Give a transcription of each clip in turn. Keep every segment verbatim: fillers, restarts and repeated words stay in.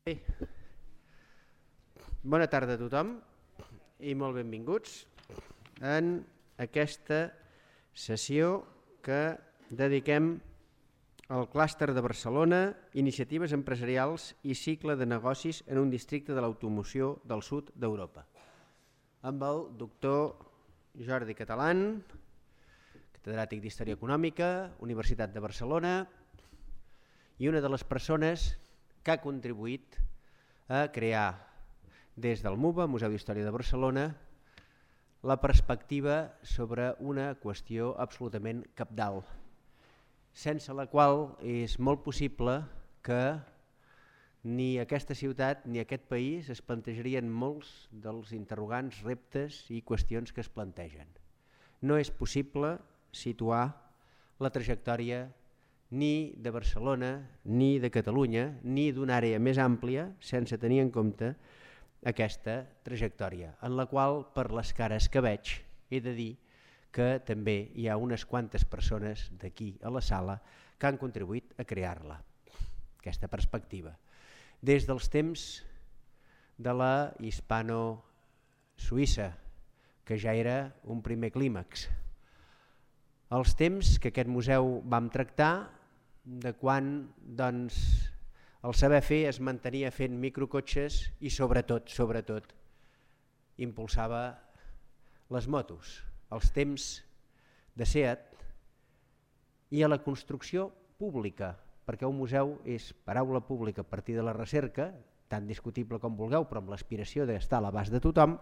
Bé, bona tarda a tothom i molt benvinguts en aquesta sessió que dediquem al clúster de Barcelona, iniciatives empresarials i cicle de negocis en un districte de l'automoció del sud d'Europa, amb el doctor Jordi Catalán, catedràtic d'Història Econòmica, Universitat de Barcelona, i una de les persones que ha contribuït a crear des del MUBA, Museu d'Història de Barcelona, la perspectiva sobre una qüestió absolutament cabdal, sense la qual és molt possible que ni aquesta ciutat ni aquest país es plantejarien molts dels interrogants, reptes i qüestions que es plantegen. No és possible situar la trajectòria ni de Barcelona, ni de Catalunya, ni d'una àrea més àmplia, sense tenir en compte aquesta trajectòria, en la qual, per les cares que veig, he de dir que també hi ha unes quantes persones d'aquí a la sala que han contribuït a crear-la, aquesta perspectiva. Des dels temps de la hispano-suïssa, que ja era un primer clímax, els temps que aquest museu vam tractar, de quan doncs, el saber fer es mantenia fent microcotxes i sobretot, sobretot, impulsava les motos, els temps de SEAT i a la construcció pública, perquè un museu és paraula pública a partir de la recerca, tan discutible com vulgueu, però amb l'aspiració d'estar a l'abast de tothom,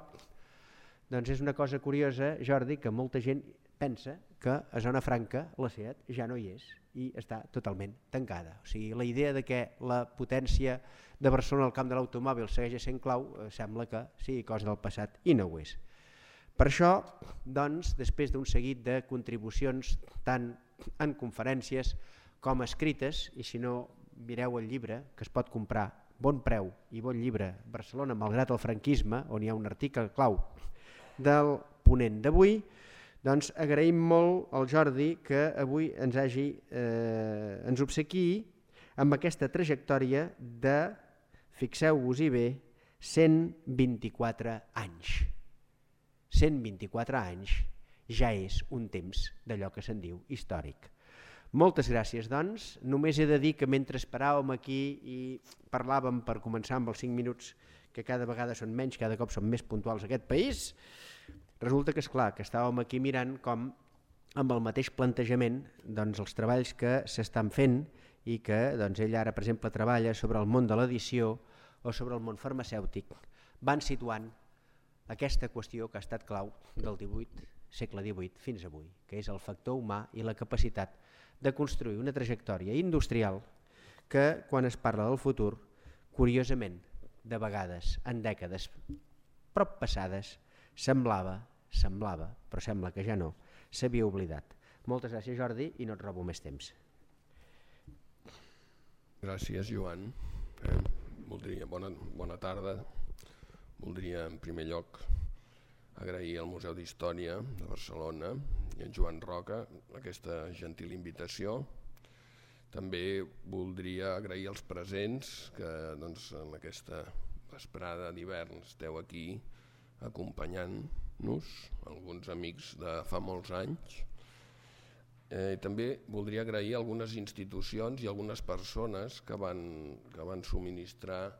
doncs és una cosa curiosa, Jordi, que molta gent pensa que a Zona Franca la SEAT ja no hi és i està totalment tancada. O sigui, la idea de que la potència de Barcelona al camp de l'automòbil segueix sent clau, eh, sembla que sigui cosa del passat i no ho és. Per això, doncs, després d'un seguit de contribucions tant en conferències com escrites, i si no mireu el llibre que es pot comprar, bon preu i bon llibre, Barcelona malgrat el franquisme, on hi ha un article clau del ponent d'avui, doncs agraïm molt al Jordi que avui ens hagi eh, ens obsequiï amb aquesta trajectòria de, fixeu-vos-hi bé, cent vint-i-quatre anys. cent vint-i-quatre anys ja és un temps d'allò que se'n diu històric. Moltes gràcies, doncs. Només he de dir que mentre esperàvem aquí i parlàvem per començar amb els cinc minuts, que cada vegada són menys, cada cop són més puntuals a aquest país, resulta que és clar que estàvem aquí mirant com amb el mateix plantejament doncs, els treballs que s'estan fent i que doncs, ell ara per exemple treballa sobre el món de l'edició o sobre el món farmacèutic, van situant aquesta qüestió que ha estat clau del divuit, segle divuit fins avui, que és el factor humà i la capacitat de construir una trajectòria industrial que quan es parla del futur, curiosament, de vegades en dècades prop passades, semblava, semblava, però sembla que ja no, s'havia oblidat. Moltes gràcies, Jordi, i no et robo més temps. Gràcies, Joan. Eh, voldria, bona, bona tarda. Voldria, en primer lloc, agrair al Museu d'Història de Barcelona i en Joan Roca aquesta gentil invitació. També voldria agrair als presents que doncs, en aquesta vesprada d'hivern esteu aquí acompanyant-nos, alguns amics de fa molts anys. Eh, també voldria agrair a algunes institucions i algunes persones que van, que van subministrar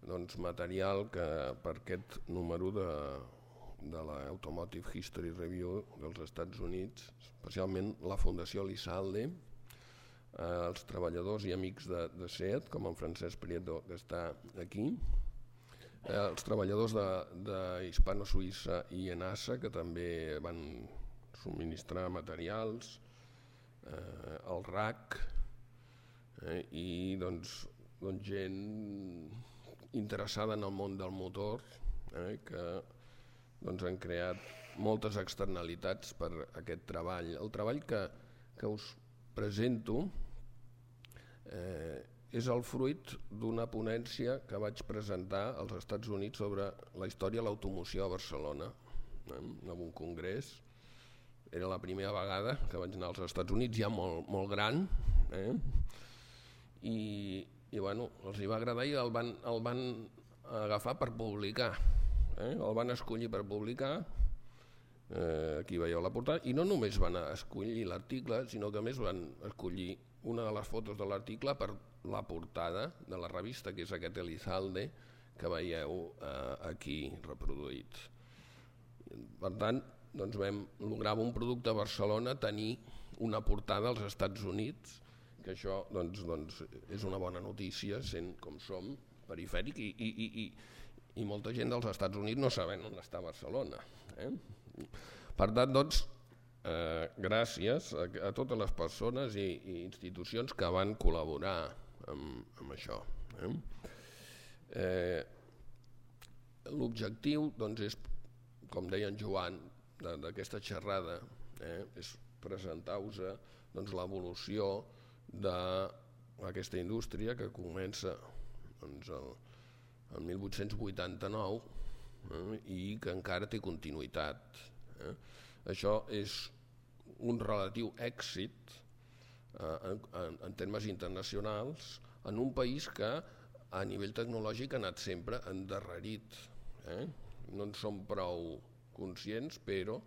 doncs, material que, per aquest número de, de la Automotive History Review dels Estats Units, especialment la Fundació Elizalde, eh, els treballadors i amics de, de SEAT, com en Francesc Prieto, que està aquí, Eh, els treballadors de, de Hispano-Suïssa i ENASA, que també van subministrar materials, eh, el R A C, eh, i doncs, doncs gent interessada en el món del motor, eh, que doncs, han creat moltes externalitats per aquest treball. El treball que, que us presento eh, és el fruit d'una ponència que vaig presentar als Estats Units sobre la història de l'automoció a Barcelona, eh, en un congrés. Era la primera vegada que vaig anar als Estats Units, ja molt, molt gran, eh? I, i bueno, els hi va agradar i el van, el van agafar per publicar, eh? El van escollir per publicar, eh, aquí veieu la portada, i no només van escollir l'article, sinó que a més van escollir una de les fotos de l'article per la portada de la revista, que és aquest Elizalde que veieu eh, aquí reproduït. Per tant, doncs vam lograr un producte a Barcelona tenir una portada als Estats Units, que això doncs, doncs, és una bona notícia, sent com som perifèric i, i, i, i, i molta gent dels Estats Units no saben on està Barcelona. Eh? Per tant, doncs, eh, gràcies a, a totes les persones i, i institucions que van col·laborar amb, amb això. Eh? Eh, L'objectiu doncs, és, com deia en Joan, d'aquesta xerrada, eh, és presentar-vos doncs, l'evolució d'aquesta indústria que comença doncs, el, el mil vuit-cents vuitanta-nou eh, i que encara té continuïtat. Eh. Això és un relatiu èxit eh, en, en, en termes internacionals en un país que a nivell tecnològic ha anat sempre endarrerit. Eh. No en som prou conscients, però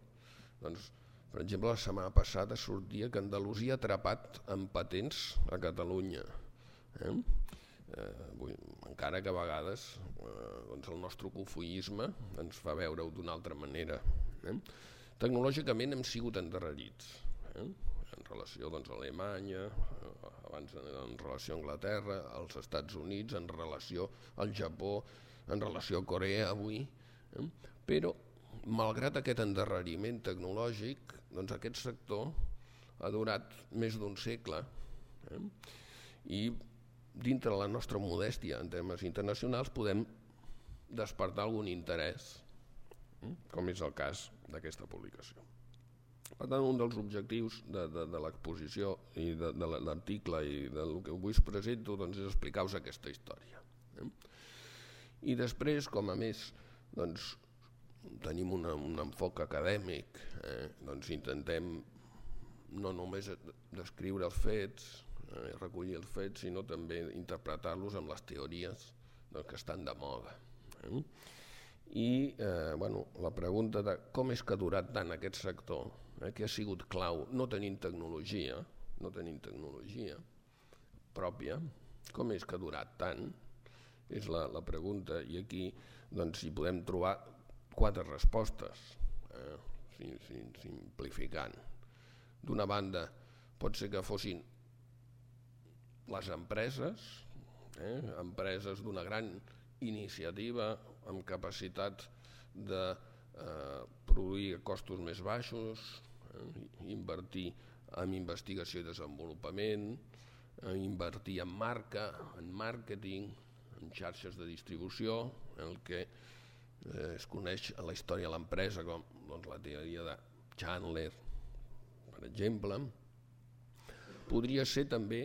doncs, per exemple, la setmana passada sortia que Andalusia ha atrapat en patents a Catalunya. Eh? Eh, vull, encara que a vegades eh, doncs el nostre cofoisme ens fa veure-ho d'una altra manera. Eh? Tecnològicament hem sigut endarrerits, eh? En relació doncs, a Alemanya, eh, abans en relació a Anglaterra, als Estats Units, en relació al Japó, en relació a Corea avui. Eh? Però, malgrat aquest endarreriment tecnològic, doncs aquest sector ha durat més d'un segle eh? I dintre la nostra modèstia en termes internacionals podem despertar algun interès, eh? Com és el cas d'aquesta publicació. Per tant, un dels objectius de, de, de l'exposició i de, de l'article i del que avui us presento doncs, és explicar-vos aquesta història. Eh? I després, com a més, doncs, tenim una, un enfoc acadèmic, eh? doncs intentem no només descriure els fets, eh? recollir els fets, sinó també interpretar-los amb les teories doncs, que estan de moda. Eh? I eh, bueno, la pregunta de com és que ha durat tant aquest sector, eh? que ha sigut clau, no tenint tecnologia, no tenint tecnologia pròpia, com és que ha durat tant, és la, la pregunta, i aquí doncs, hi podem trobar quatre respostes, eh, simplificant. D'una banda, pot ser que fossin les empreses, eh, empreses d'una gran iniciativa amb capacitat de eh, produir a costos més baixos, eh, invertir en investigació i desenvolupament, eh, invertir en marca, en màrqueting, en xarxes de distribució, en el que Eh, es coneix a la història de l'empresa com doncs, la teoria de Chandler, per exemple. Podria ser també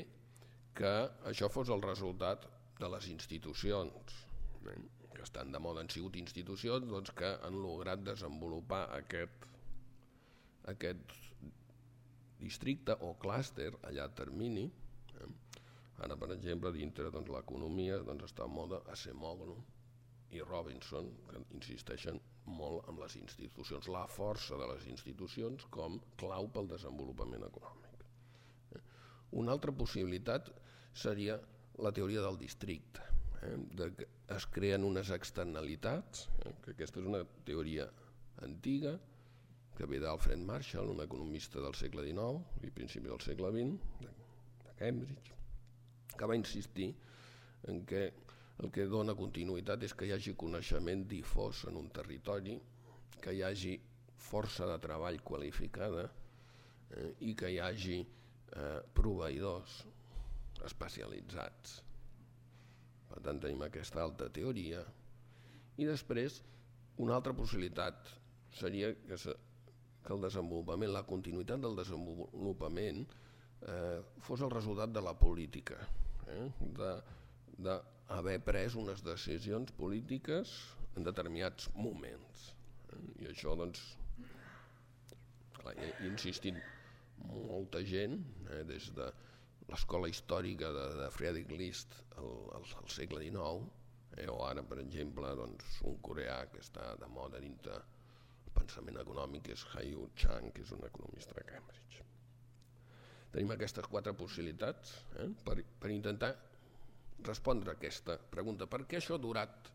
que això fos el resultat de les institucions, eh, que estan de moda, han sigut institucions doncs, que han lograt desenvolupar aquest, aquest districte o clúster a llarg termini. Eh. Ara, per exemple, dintre doncs, l'economia doncs, està en moda Acemoglu i Robinson, que insisteixen molt en les institucions, la força de les institucions com clau pel desenvolupament econòmic. Una altra possibilitat seria la teoria del districte, eh, de que es creen unes externalitats, eh, que aquesta és una teoria antiga, que ve d'Alfred Marshall, un economista del segle dinou i principi del segle vint, de, de Cambridge, que va insistir en que el que dona continuïtat és que hi hagi coneixement difós en un territori, que hi hagi força de treball qualificada eh, i que hi hagi eh, proveïdors especialitzats. Per tant, tenim aquesta altra teoria. I després, una altra possibilitat seria que, se, que el desenvolupament, la continuïtat del desenvolupament eh, fos el resultat de la política, eh, de, de haver pres unes decisions polítiques en determinats moments. I això, doncs, clar, he insistit molta gent, eh, des de l'escola històrica de, de Friedrich List al, al, al segle dinou, eh, o ara, per exemple, doncs, un coreà que està de moda dintre el pensament econòmic, que és Haiyou Chang, que és un economista de Cambridge. Tenim aquestes quatre possibilitats eh, per, per intentar respondre a aquesta pregunta. Per què això ha durat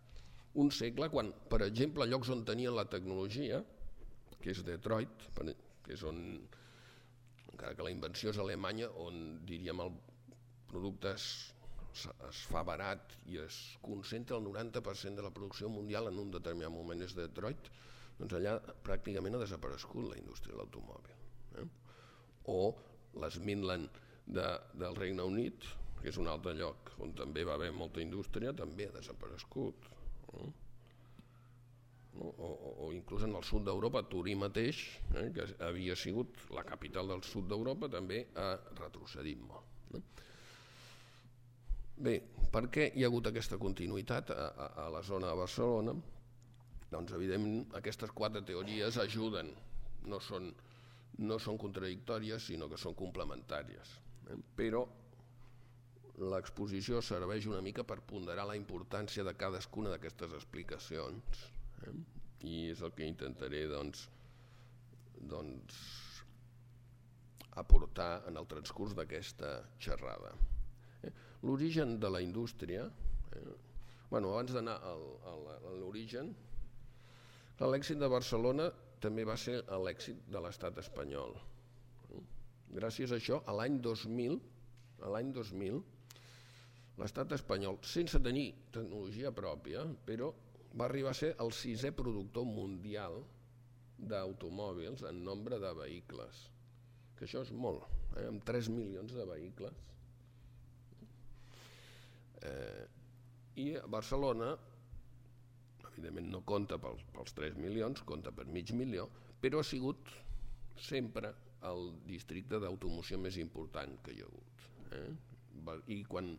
un segle quan, per exemple, llocs on tenien la tecnologia, que és Detroit, que és on, encara que la invenció és alemanya, on diríem el producte es, es fa barat i es concentra el noranta per cent de la producció mundial en un determinat moment és Detroit, doncs allà pràcticament ha desaparegut la indústria de l'automòbil. Eh? O les Midland de, del Regne Unit, que és un altre lloc on també va haver molta indústria, també ha desaparegut. Eh? O, o, o inclús en el sud d'Europa, Turí mateix, eh, que havia sigut la capital del sud d'Europa, també ha retrocedit molt. Eh? Bé, per què hi ha hagut aquesta continuïtat a, a, a la zona de Barcelona? Doncs evidentment aquestes quatre teories ajuden, no són, no són contradictòries, sinó que són complementàries. Eh? Però l'exposició serveix una mica per ponderar la importància de cadascuna d'aquestes explicacions. Eh? I és el que intentaré doncs, doncs, aportar en el transcurs d'aquesta xerrada. Eh? L'origen de la indústria, eh? bueno, abans d'anar a l'origen, l'èxit de Barcelona també va ser l'èxit de l'estat espanyol. Eh? Gràcies a això, a l'any dos mil, a l'any dos mil, l'estat espanyol, sense tenir tecnologia pròpia, però va arribar a ser el sisè productor mundial d'automòbils en nombre de vehicles, que això és molt, eh? amb tres milions de vehicles. Eh, I Barcelona, evidentment no compta pels, pels tres milions, compta per mig milió, però ha sigut sempre el districte d'automoció més important que hi ha hagut. Eh? I quan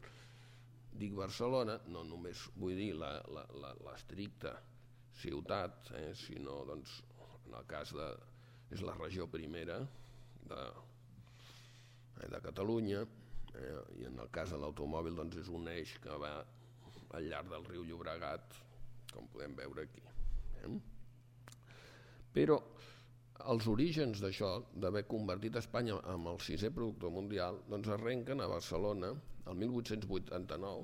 dic Barcelona, no només vull dir l'estricta ciutat, eh, sinó doncs, en el cas de és la regió primera de, eh, de Catalunya, eh, i en el cas de l'automòbil doncs, és un eix que va al llarg del riu Llobregat, com podem veure aquí. Eh? Però els orígens d'això, d'haver convertit Espanya en el sisè productor mundial, doncs arrenquen a Barcelona el mil vuit-cents vuitanta-nou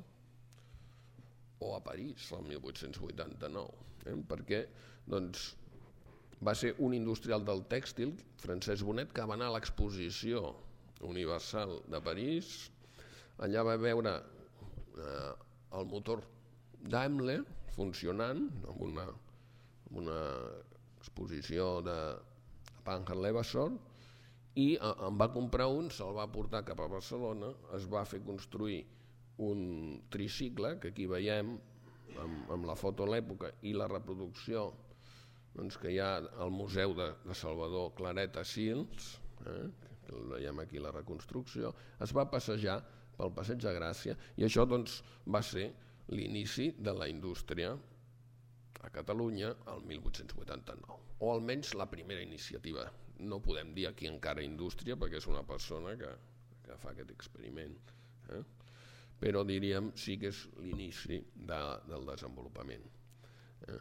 o a París el mil vuit-cents vuitanta-nou, eh? perquè doncs, va ser un industrial del tèxtil, Francesc Bonet, que va anar a l'exposició universal de París. Allà va veure eh, el motor Daimler funcionant amb una, amb una exposició de Panhard Levasseur, i en va comprar un, se'l va portar cap a Barcelona, es va fer construir un tricicle, que aquí veiem amb, amb la foto a l'època i la reproducció doncs, que hi ha al Museu de, de Salvador Claret a Sils, eh, que veiem aquí la reconstrucció, es va passejar pel Passeig de Gràcia i això doncs, va ser l'inici de la indústria a Catalunya el mil vuit-cents vuitanta-nou, o almenys la primera iniciativa. No podem dir aquí encara indústria perquè és una persona que, que fa aquest experiment, eh? però diríem sí que és l'inici de, del desenvolupament. Eh?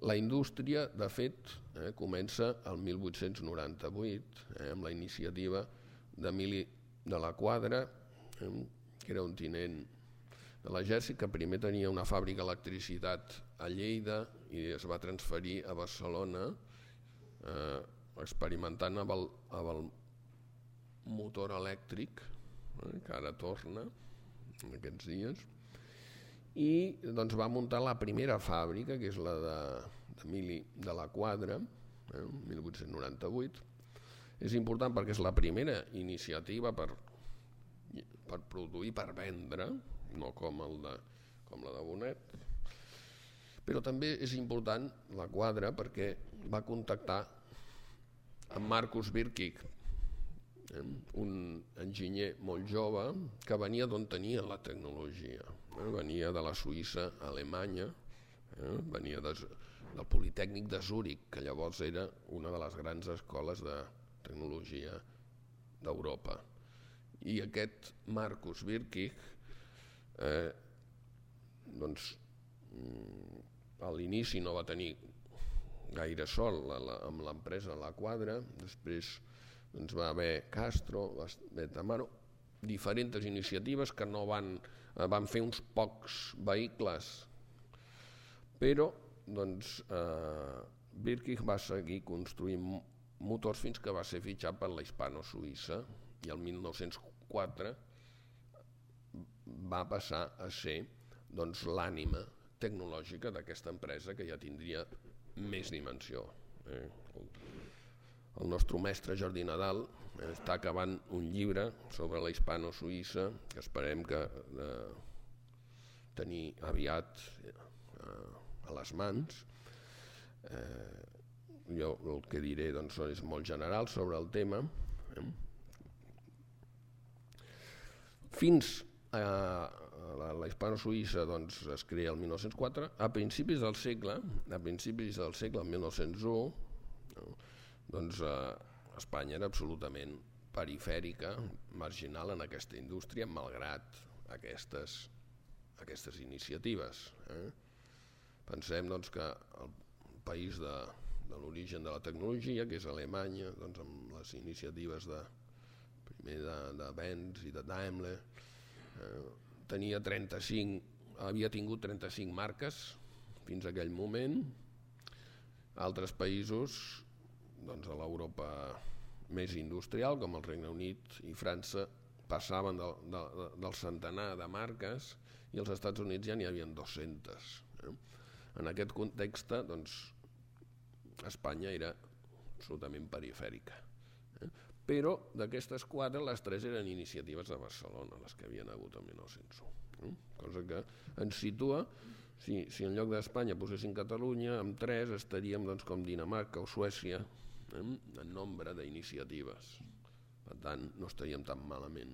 La indústria, de fet, eh, comença el mil vuit-cents noranta-vuit eh, amb la iniciativa d'Emili de la Quadra, eh, que era un tinent de l'exèrcit que primer tenia una fàbrica d'electricitat a Lleida i es va transferir a Barcelona, eh, experimentant amb el, amb el motor elèctric, eh, que ara torna en aquests dies, i doncs, va muntar la primera fàbrica, que és la d'Emili de, de la Quadra, eh, mil vuit-cents noranta-vuit. És important perquè és la primera iniciativa per, per produir, per vendre, no com, el de, com la de Bonet, però també és important la Quadra perquè va contactar amb Marcus Birkig, eh, un enginyer molt jove que venia d'on tenia la tecnologia, eh, venia de la Suïssa alemanya, eh, venia de, del Politècnic de Zúrich, que llavors era una de les grans escoles de tecnologia d'Europa. I aquest Marcus Birkig, eh, doncs, a l'inici no va tenir gaire sol amb l'empresa La Quadra, després doncs, va haver Castro, va haver Tamaro, diferents iniciatives que no van, van fer uns pocs vehicles, però doncs, eh, Birkig va seguir construint motors fins que va ser fitxat per la Hispano-Suïssa i el mil nou-cents quatre va passar a ser doncs, l'ànima tecnològica d'aquesta empresa que ja tindria més dimensió. Eh? El nostre mestre Jordi Nadal està acabant un llibre sobre la Hispano-Suïssa que esperem que eh, tenir aviat eh, a les mans. Eh, jo el que diré doncs, és molt general sobre el tema. Eh? Fins a la, la Hispano-Suïssa doncs, es crea el mil nou-cents quatre, a principis del segle, a principis del segle, el mil nou-cents u, no? doncs, eh, Espanya era absolutament perifèrica, marginal en aquesta indústria, malgrat aquestes, aquestes iniciatives. Eh? Pensem doncs, que el país de, de l'origen de la tecnologia, que és Alemanya, doncs, amb les iniciatives de, primer de, de Benz i de Daimler, eh, tenia trenta-cinc, havia tingut trenta-cinc marques fins a aquell moment. Altres països doncs, a l'Europa més industrial, com el Regne Unit i França, passaven del, de, del centenar de marques i als Estats Units ja n'hi havia dues-centes. Eh? En aquest context, doncs, Espanya era absolutament perifèrica. Eh? Però d'aquestes quatre, les tres eren iniciatives de Barcelona, les que havien hagut el mil nou-cents u. Eh? Cosa que ens situa, si, si en lloc d'Espanya posessin Catalunya, amb tres estaríem doncs, com Dinamarca o Suècia, eh? en nombre d'iniciatives. Per tant, no estaríem tan malament.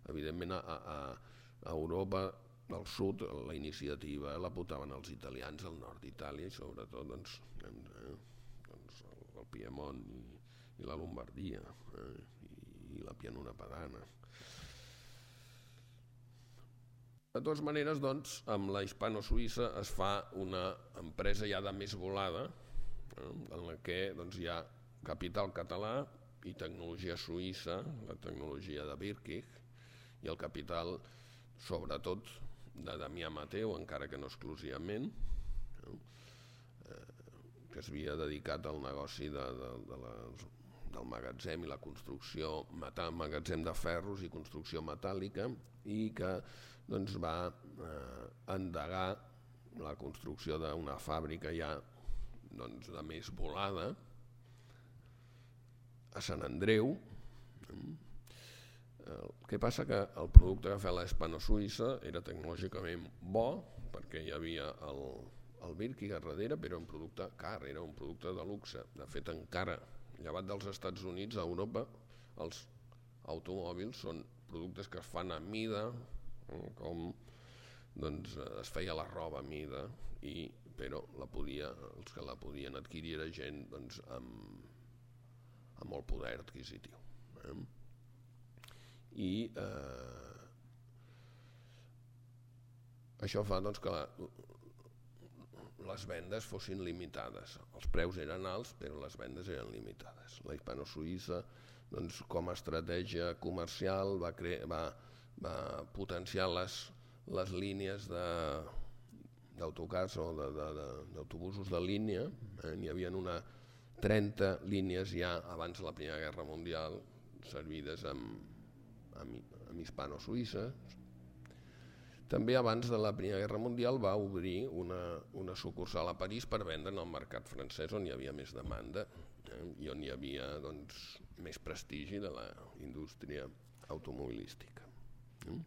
Evidentment, a, a, a Europa del sud, la iniciativa la portaven els italians, al nord d'Itàlia, i sobretot doncs, eh, doncs el, el Piemont i, i la Lombardia, eh, i, i la Pianura Padana. De totes maneres, doncs, amb la Hispano-Suïssa es fa una empresa ja de més volada, eh, en la que doncs, hi ha capital català i tecnologia suïssa, la tecnologia de Birkig, i el capital, sobretot, de Damià Mateu, encara que no exclusivament, no? Eh, que s'havia dedicat al negoci de, de, de la, del magatzem i la construcció, magatzem de ferros i construcció metàl·lica, i que doncs, va eh, endegar la construcció d'una fàbrica ja doncs, de més volada a Sant Andreu. El que passa que el producte que feia la Hispano-Suïssa era tecnològicament bo, perquè hi havia el, el Birkig a darrere, però era un producte car, era un producte de luxe. De fet, encara, llevat dels Estats Units, a Europa, els automòbils són productes que es fan a mida, com doncs, es feia la roba a mida, i, però la podia, els que la podien adquirir era gent doncs, amb, amb molt poder adquisitiu. Eh? I eh, això fa doncs, que la, les vendes fossin limitades. Els preus eren alts, però les vendes eren limitades. La Hispano-Suïssa, doncs, com a estratègia comercial, va, cre- va, va potenciar les, les línies de, d'autocars o de, de, de, d'autobusos de línia. Eh? N'hi havia una trenta línies ja abans de la Primera Guerra Mundial servides amb amb Hispano-Suïssa. També abans de la Primera Guerra Mundial va obrir una, una sucursal a París per vendre en el mercat francès, on hi havia més demanda, eh, i on hi havia doncs, més prestigi de la indústria automobilística. Eh?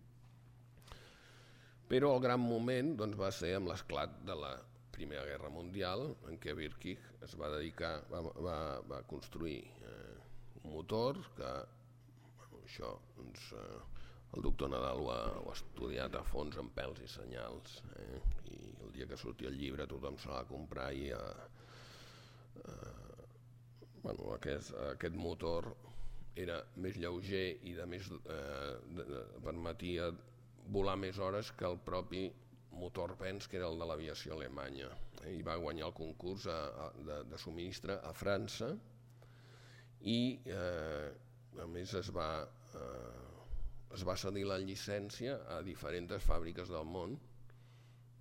Però el gran moment doncs, va ser amb l'esclat de la Primera Guerra Mundial, en què Birkig es va dedicar, va, va, va construir eh, un motor que això, doncs, eh, el doctor Nadal ho ha, ho ha estudiat a fons amb pèls i senyals, eh? I el dia que surti el llibre tothom se l'ha de comprar i eh, eh, bueno, aquest, aquest motor era més lleuger i de més, eh, de, de, permetia volar més hores que el propi motor Benz, que era el de l'aviació alemanya, eh, i va guanyar el concurs a, a, de, de subministre a França, i eh, a més es va, eh, es va cedir la llicència a diferents fàbriques del món.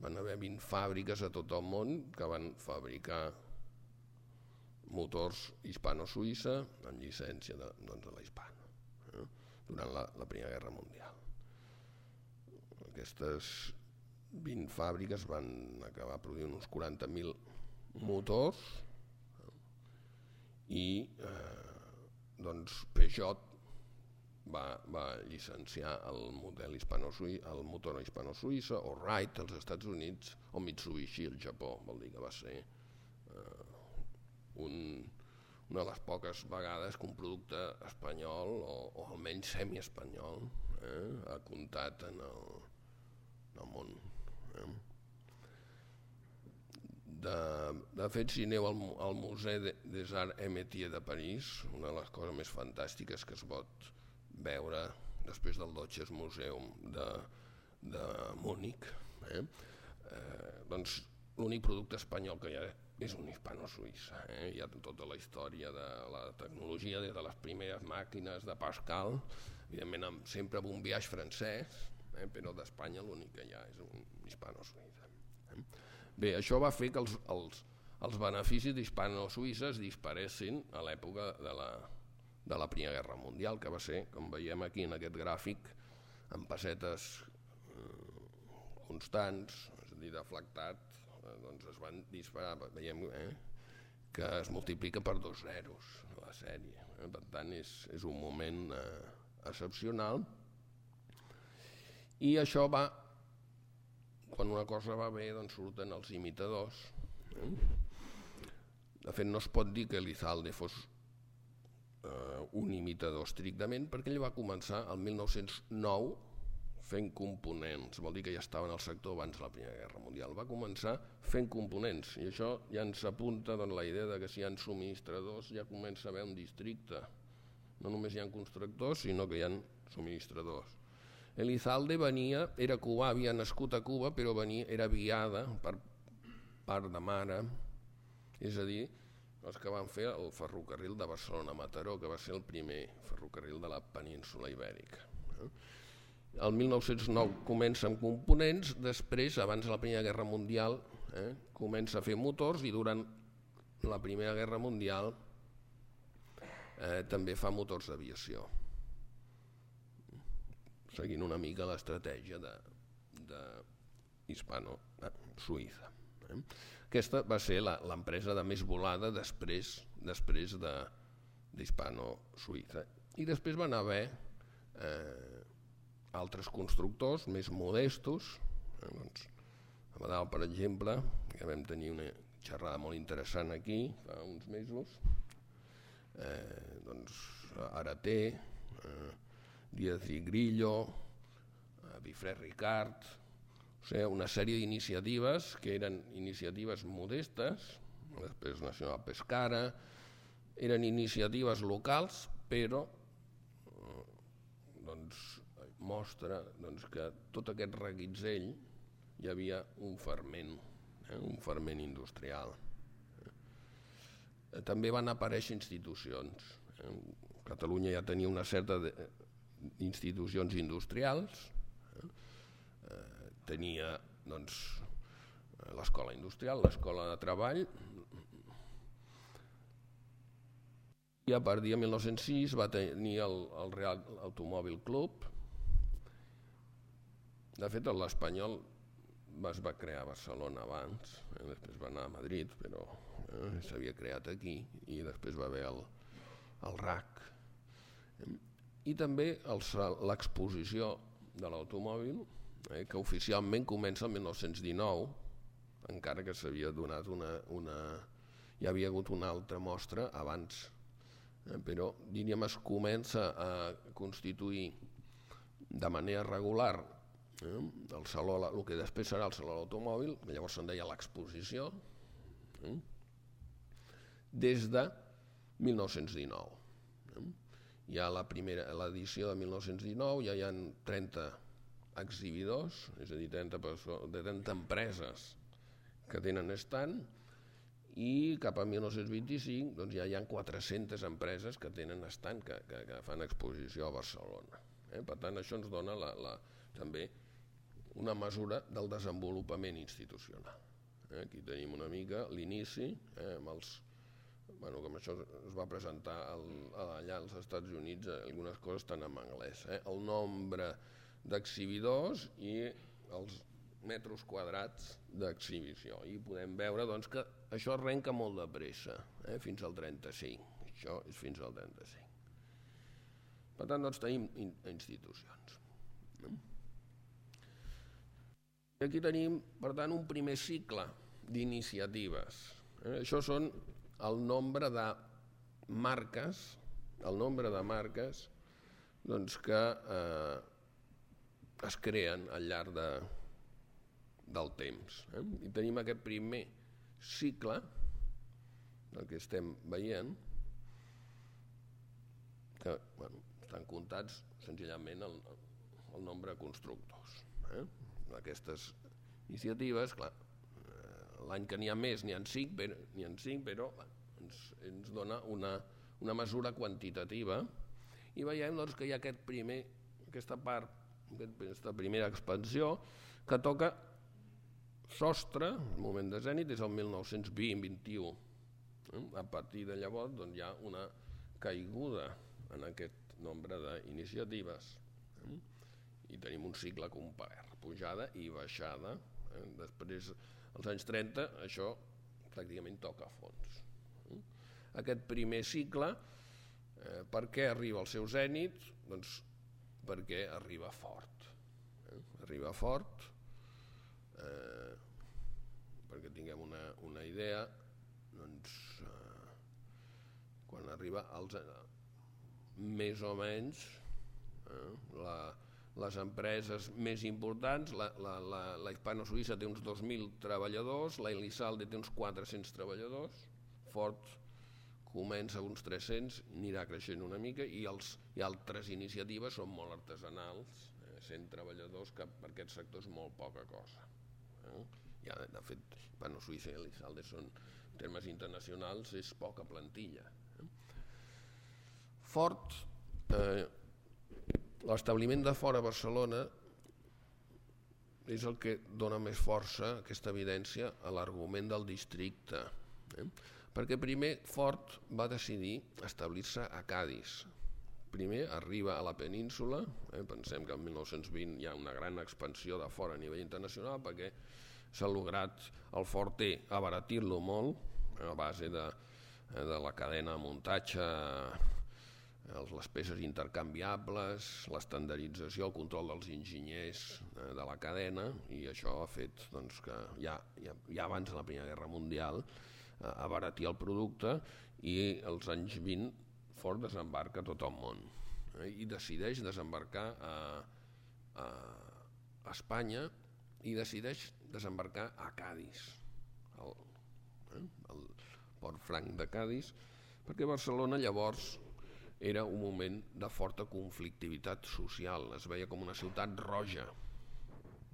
Van haver vint fàbriques a tot el món que van fabricar motors hispano-suïssa amb llicència de, doncs, de la Hispano, eh, durant la, la Primera Guerra Mundial. Aquestes vint fàbriques van acabar produint uns quaranta mil motors, eh, i eh, doncs Peugeot va, va llicenciar el model hispano-suïssa, el motor hispano-suïssa, o Wright als Estats Units, o Mitsubishi al Japó. Vol dir que va ser eh, un, una de les poques vegades que un producte espanyol, o, o almenys semi-espanyol, eh, ha comptat en el, en el món. Eh. De, de fet, si aneu al, al Museu des Arts et Métiers de París, una de les coses més fantàstiques que es pot veure després del Deutsches Museum de, de Múnich, eh? Eh, doncs l'únic producte espanyol que hi ha és un hispano-suïssa. Eh? Hi ha tota la història de la tecnologia, des de les primeres màquines de Pascal, evidentment amb, sempre amb un biaix francès, eh? Però d'Espanya l'únic que hi ha és un hispano-suïssa. Eh? Bé, això va fer que els, els, els beneficis d'hispano-suïssa es disparessin a l'època de la, de la Primera Guerra Mundial, que va ser, com veiem aquí en aquest gràfic, amb pessetes eh, constants, és a dir, deflactat, eh, doncs es van disparar, veiem eh, que es multiplica per dos zeros la sèrie. Eh? Per tant, és, és un moment eh, excepcional, i això va, quan una cosa va bé, doncs surten els imitadors. Eh? De fet, no es pot dir que Elizalde fos Uh, un imitador estrictament, perquè ell va començar el mil nou-cents nou fent components, vol dir que ja estava en el sector abans de la Primera Guerra Mundial. Va començar fent components, i això ja ens apunta doncs, la idea de que si hi ha subministradors ja comença a haver un districte. No només hi ha constructors, sinó que hi ha subministradors. Elizalde venia, era cubà, havia nascut a Cuba, però venia, era viada per part de mare, és a dir, els que van fer el ferrocarril de Barcelona-Mataró, que va ser el primer ferrocarril de la península ibèrica. El mil nou-cents nou comença amb components, després, abans de la Primera Guerra Mundial, eh, comença a fer motors, i durant la Primera Guerra Mundial eh, també fa motors d'aviació, seguint una mica l'estratègia de, de hispano-suïssa. Eh. Aquesta va ser l'empresa de més volada després, després de, d'hispano-suïssa. I després van haver eh, altres constructors més modestos. Eh, doncs, a Badal, per exemple, que vam tenir una xerrada molt interessant aquí fa uns mesos, eh, doncs, Araté, eh, Díaz i Grillo, eh, Bifré Ricard, o sigui, una sèrie d'iniciatives que eren iniciatives modestes, després Nacional Pescara, eren iniciatives locals, però eh, doncs, mostra doncs, que tot aquest reguitzell hi havia un ferment, eh, un ferment industrial. Eh, també van aparèixer institucions. Eh, Catalunya ja tenia una certa d'institucions industrials, tenia doncs, l'escola industrial, l'escola de treball, i a partir de mil nou-cents sis va tenir el, el Real Automòbil Club. De fet, l'Espanyol es va crear a Barcelona abans, eh? Després va anar a Madrid, però eh, s'havia creat aquí, i després va haver el, el R A C. I també l'exposició de l'automòbil, Eh, que oficialment comença el mil nou-cents dinou, encara que s'havia donat una, una... hi havia hagut una altra mostra abans, eh, però diríem es comença a constituir de manera regular eh, el saló, el que després serà el Saló de l'Automòbil, que llavors se'n deia l'exposició, eh, des de mil nou-cents dinou. Eh, hi ha la primera, l'edició de mil nou-cents dinou, ja hi ha trenta exhibidors, és a dir, trenta, trenta empreses que tenen estand, i cap a mil nou-cents vint-i-cinc doncs ja hi ha quatre-centes empreses que tenen estand, que, que, que fan exposició a Barcelona. Eh? Per tant, això ens dona la, la, també una mesura del desenvolupament institucional. Eh? Aquí tenim una mica l'inici, eh? amb els, bueno, com això es va presentar el, allà als Estats Units, algunes coses estan en anglès, eh? El nombre d'exhibidors i els metres quadrats d'exhibició, i podem veure doncs, que això arrenca molt de pressa, eh? Fins al trenta-cinc, això és fins al trenta-cinc. Per tant, doncs tenim in institucions. I aquí tenim, per tant, un primer cicle d'iniciatives. Eh? Això són el nombre de marques, el nombre de marques doncs, que eh, es creen al llarg de, del temps. Eh? I tenim aquest primer cicle, el que estem veient, que bueno, estan comptats senzillament el, el nombre de constructors. Eh? Aquestes iniciatives, clar, l'any que n'hi ha més n'hi ha cinc, però, n'hi ha cinc, però ens, ens dona una, una mesura quantitativa, i veiem doncs, que hi ha aquest primer, aquesta part, aquesta primera expansió, que toca sostre, el moment de zènit és el mil nou-cents vint vint i u. A partir de llavors doncs, hi ha una caiguda en aquest nombre d'iniciatives. I tenim un cicle complet, pujada i baixada. Després, als anys trenta, això pràcticament toca a fons. Aquest primer cicle, eh, per què arriba al seu zènit? Doncs perquè arriba fort. Eh? Arriba fort, eh, perquè tinguem una, una idea, doncs, eh, quan arriba als, més o menys, eh, la, les empreses més importants, la, la, la, la Hispano-Suïssa té uns dos mil treballadors, la Elizalde té uns quatre-cents treballadors, Ford comença uns tres-cents, anirà creixent una mica, i, els, i altres iniciatives són molt artesanals, eh, cent treballadors, que per aquest sector és molt poca cosa. Eh? Ja, de fet, Hispano-Suïssa i Elizalde són, en termes internacionals, és poca plantilla. Eh? Ford, eh, l'establiment de Ford a Barcelona és el que dona més força, aquesta evidència, a l'argument del districte. Eh? Perquè primer Ford va decidir establir-se a Cadis. Primer arriba a la península, eh? Pensem que el mil nou-cents vint hi ha una gran expansió de Ford a nivell internacional, perquè s'ha lograt el Ford T abaratir-lo molt a base de, de la cadena de muntatge, les peces intercanviables, l'estandardització, el control dels enginyers de la cadena, i això ha fet doncs, que ja, ja, ja abans de la Primera Guerra Mundial abaratir el producte, i als anys vint Ford desembarca a tot el món, eh, i decideix desembarcar a, a, a Espanya, i decideix desembarcar a Cadis, el, eh, el port franc de Cadis, perquè Barcelona llavors era un moment de forta conflictivitat social, es veia com una ciutat roja.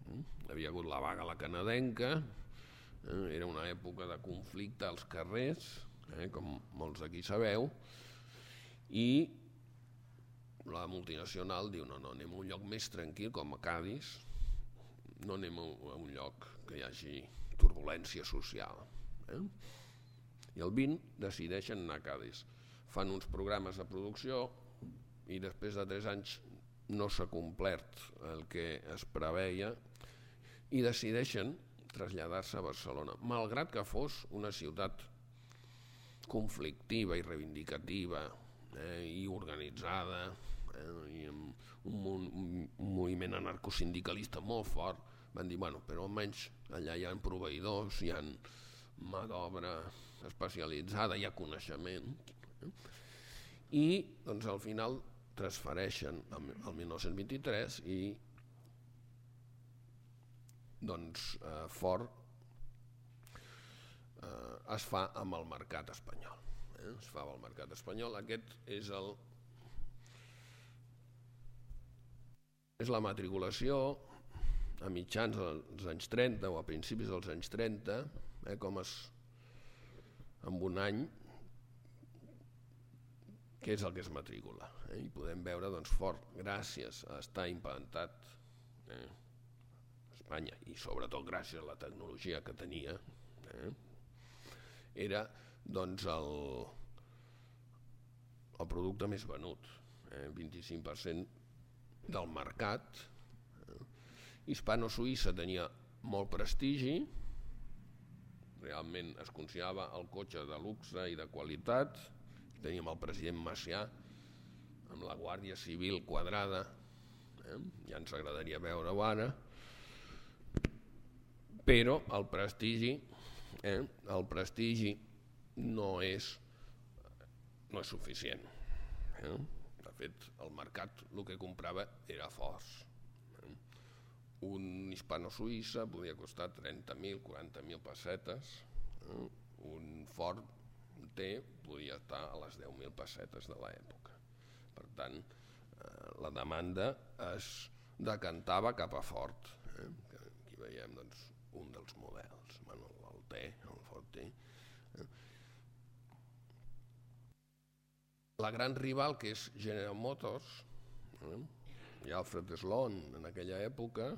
Mm? Havia hagut la vaga a la canadenca, eh? Era una època de conflicte als carrers, eh? Com molts d'aquí sabeu, i la multinacional diu no, no, anem a un lloc més tranquil com a Cadis, no anem a un lloc que hi hagi turbulència social. Eh? I el vint decideixen anar a Cadis. Fan uns programes de producció i després de tres anys no s'ha complert el que es preveia i decideixen traslladar-se a Barcelona, malgrat que fos una ciutat conflictiva i reivindicativa, eh, i organitzada, eh, i amb un, un, un moviment anarcosindicalista molt fort. Van dir, bueno, però almenys allà hi ha proveïdors, hi ha mà d'obra especialitzada, hi ha coneixement. I doncs al final transfereixen al mil nou-cents vint-i-tres i doncs eh, Ford eh, es fa amb el mercat espanyol, eh? Es fa amb el mercat espanyol. Aquest és el, és la matriculació a mitjans dels anys trenta o a principis dels anys trenta, eh, com es, en un any, què és el que es matricula. Eh? I podem veure, doncs, Ford, gràcies a estar implantat eh, a Espanya i sobretot gràcies a la tecnologia que tenia, eh, era doncs, el, el producte més venut, eh, vint-i-cinc per cent del mercat. Eh? Hispano-Suïssa tenia molt prestigi, realment es considerava el cotxe de luxe i de qualitat. Teníem el president Macià amb la Guàrdia Civil quadrada, eh? Ja ens agradaria veure-ho ara, però el prestigi, eh? el prestigi no és, no és suficient. Eh? De fet, el mercat el que comprava era Fords. Eh? Un hispano-suïssa podia costar trenta mil, quaranta mil pessetes, eh? Un Ford T podia estar a les deu mil pessetes de l'època. Per tant, eh, la demanda es decantava cap a Ford. Eh? Aquí veiem doncs, un dels models, bueno, el T, el Ford T. Eh? La gran rival, que és General Motors, eh? i Alfred Sloan en aquella època,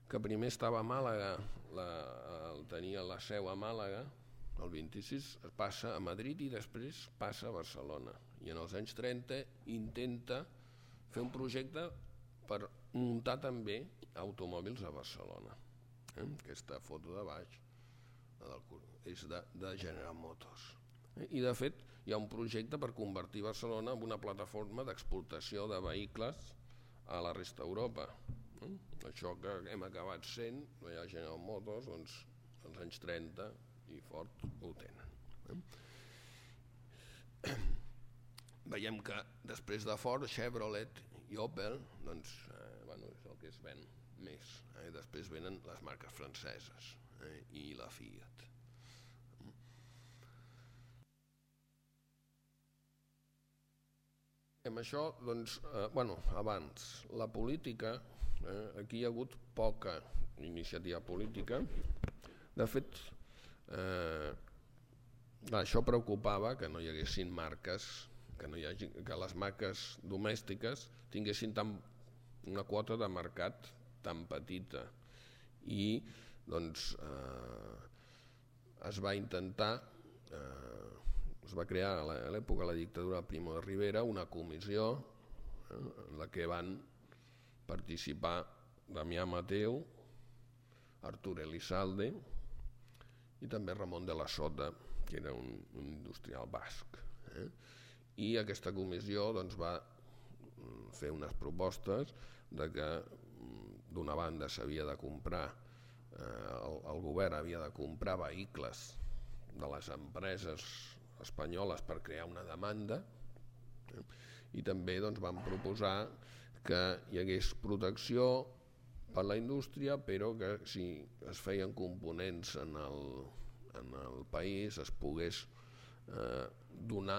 que primer estava a Màlaga, la, el, tenia la seu a Màlaga, el vint-i-sis passa a Madrid i després passa a Barcelona. I en els anys trenta intenta fer un projecte per muntar també automòbils a Barcelona. Eh? Aquesta foto de baix és de, de General Motors. Eh? I de fet hi ha un projecte per convertir Barcelona en una plataforma d'exportació de vehicles a la resta d'Europa. Eh? Això que hem acabat sent, no hi ha General Motors, doncs als anys trenta i Ford ho tenen. Eh? Veiem que després de Ford, Chevrolet i Opel, doncs, eh, bueno, és el que es ven més. Eh? Després venen les marques franceses eh? i la Fiat. Amb això, doncs, eh, bueno, abans, la política, eh, aquí hi ha hagut poca iniciativa política. De fet, Eh, això preocupava que no hi haguessin marques, que, no hi hagi, que les marques domèstiques tinguessin tan, una quota de mercat tan petita i doncs eh, es va intentar, eh, es va crear a l'època de la dictadura de Primo de Rivera una comissió eh, en la que van participar Damià Mateu, Artur Elizalde i també Ramon de la Sota, que era un, un industrial basc. Eh? I aquesta comissió doncs, va fer unes propostes de que d'una banda s'havia de comprar, eh, el, el govern havia de comprar vehicles de les empreses espanyoles per crear una demanda, eh? I també doncs, van proposar que hi hagués protecció per la indústria, però que si es feien components en el, en el país es pogués eh, donar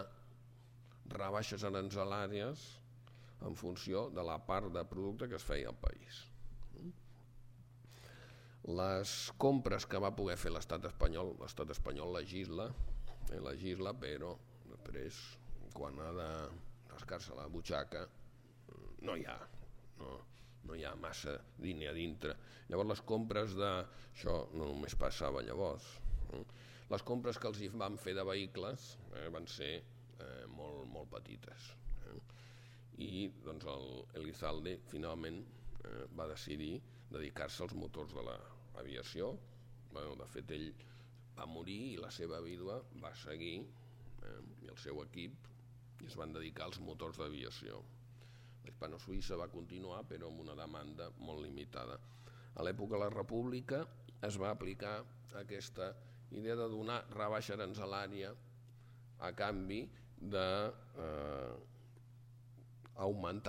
rebaixes aranzelàries en funció de la part de producte que es feia al país. Les compres que va poder fer l'estat espanyol, l'estat espanyol legisla, eh, legisla, però després, quan ha de rascar-se la butxaca, no hi ha, no, no hi ha massa diner a dintre. Llavors les compres de... Això no només passava llavors. Eh? Les compres que els hi van fer de vehicles eh, van ser eh, molt, molt petites. Eh? I doncs el Elizalde finalment eh, va decidir dedicar-se als motors de l'aviació. Bueno, de fet ell va morir i la seva vídua va seguir eh, i el seu equip i es van dedicar als motors d'aviació. Hispano-Suïssa va continuar però amb una demanda molt limitada. A l'època de la República es va aplicar aquesta idea de donar rebaixa aranzelària a canvi d'augmentar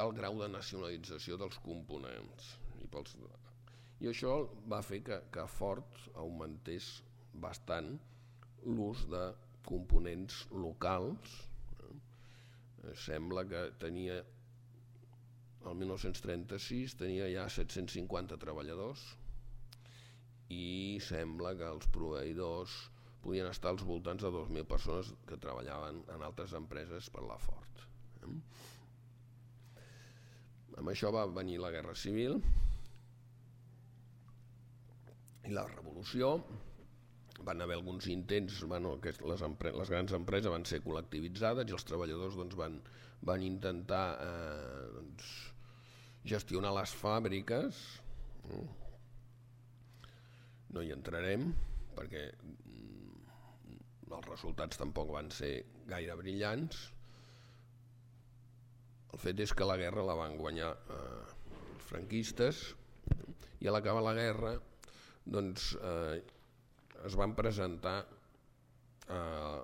eh, el grau de nacionalització dels components. I, pels, i això va fer que, que Ford augmentés bastant l'ús de components locals. Eh? Sembla que tenia el mil nou-cents trenta-sis tenia ja set-cents cinquanta treballadors i sembla que els proveïdors podien estar als voltants de dos mil persones que treballaven en altres empreses per la Ford. Amb això va venir la Guerra Civil i la Revolució. Van haver alguns intents, bueno, que les, les grans empreses van ser col·lectivitzades i els treballadors doncs, van, van intentar eh, doncs, gestionar les fàbriques. No hi entrarem perquè els resultats tampoc van ser gaire brillants. El fet és que la guerra la van guanyar eh, els franquistes i a l'acabar la guerra doncs, eh, es van presentar eh,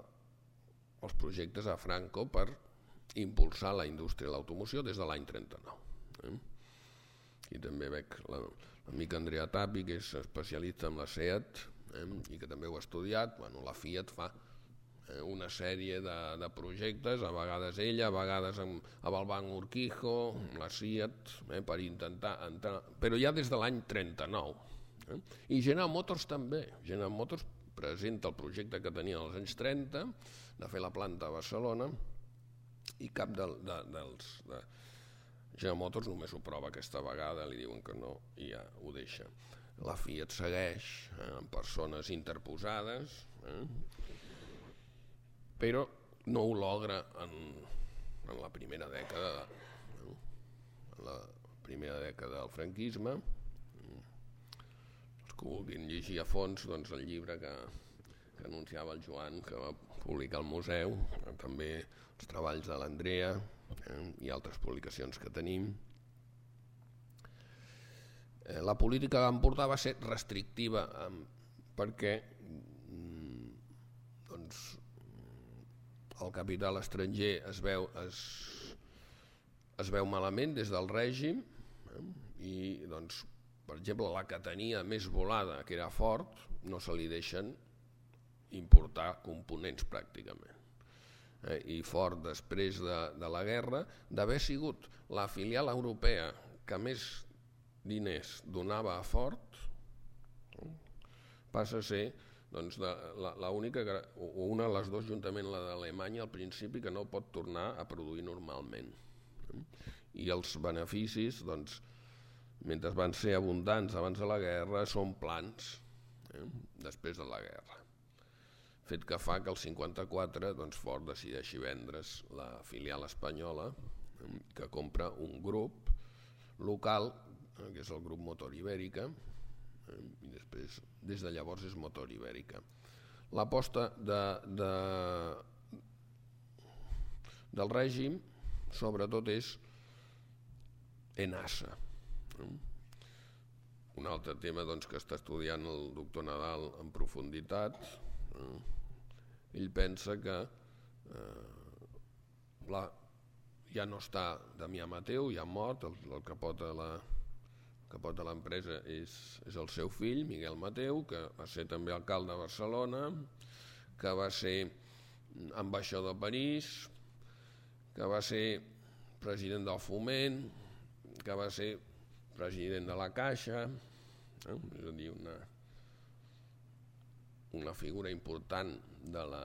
els projectes a Franco per impulsar la indústria de l'automoció des de l'any trenta-nou. Eh? I també veig l'amic Andrea Tapi, que és especialista en la SEAT, eh? i que també ho ha estudiat. Bueno, la Fiat fa eh, una sèrie de, de projectes, a vegades ella, a vegades amb, amb el Banc Urquijo, la SEAT, eh, per intentar entrar, però ja des de l'any trenta-nou. Eh? I General Motors també. General Motors presenta el projecte que tenia als anys trenta, de fer la planta a Barcelona, i cap de, de, dels... De General Motors només ho prova aquesta vegada, li diuen que no i ja ho deixa. La Fiat segueix eh, amb persones interposades, eh, però no ho logra en, en la primera dècada, eh, en la primera dècada del franquisme. Els que vulguin llegir a fons doncs, el llibre que, que anunciava el Joan, que va publicar al museu, eh, també els treballs de l'Andrea, eh, i altres publicacions que tenim. Eh, la política que van portar va ser restrictiva eh, perquè mm, doncs, el capital estranger es veu, es, es veu malament des del règim eh, i doncs, per exemple, la que tenia més volada, que era Ford, no se li deixen importar components pràcticament. Eh, I Ford, després de, de la guerra, d'haver sigut la filial europea que més diners donava a Ford, eh, passa a ser doncs, de, la, la única, o una de les dues, juntament la d'Alemanya, al principi, que no pot tornar a produir normalment. Eh? I els beneficis, doncs, mentre van ser abundants abans de la guerra, són plans eh, després de la guerra. Fet que fa que el cinquanta-quatre doncs, Ford decideixi vendre's la filial espanyola, eh, que compra un grup local, eh, que és el grup Motor Ibèrica, eh, i després, des de llavors, és Motor Ibèrica. L'aposta de, de, del règim, sobretot, és ENASA. Eh? Un altre tema doncs, que està estudiant el doctor Nadal en profunditat. Eh? Ell pensa que eh, la, ja no està Damià Mateu, ja ha mort, el, el capot de la, capot de l'empresa és, és el seu fill, Miguel Mateu, que va ser també alcalde de Barcelona, que va ser ambaixador a París, que va ser president del Foment, que va ser president de la Caixa, eh? és a dir, una, una figura important de la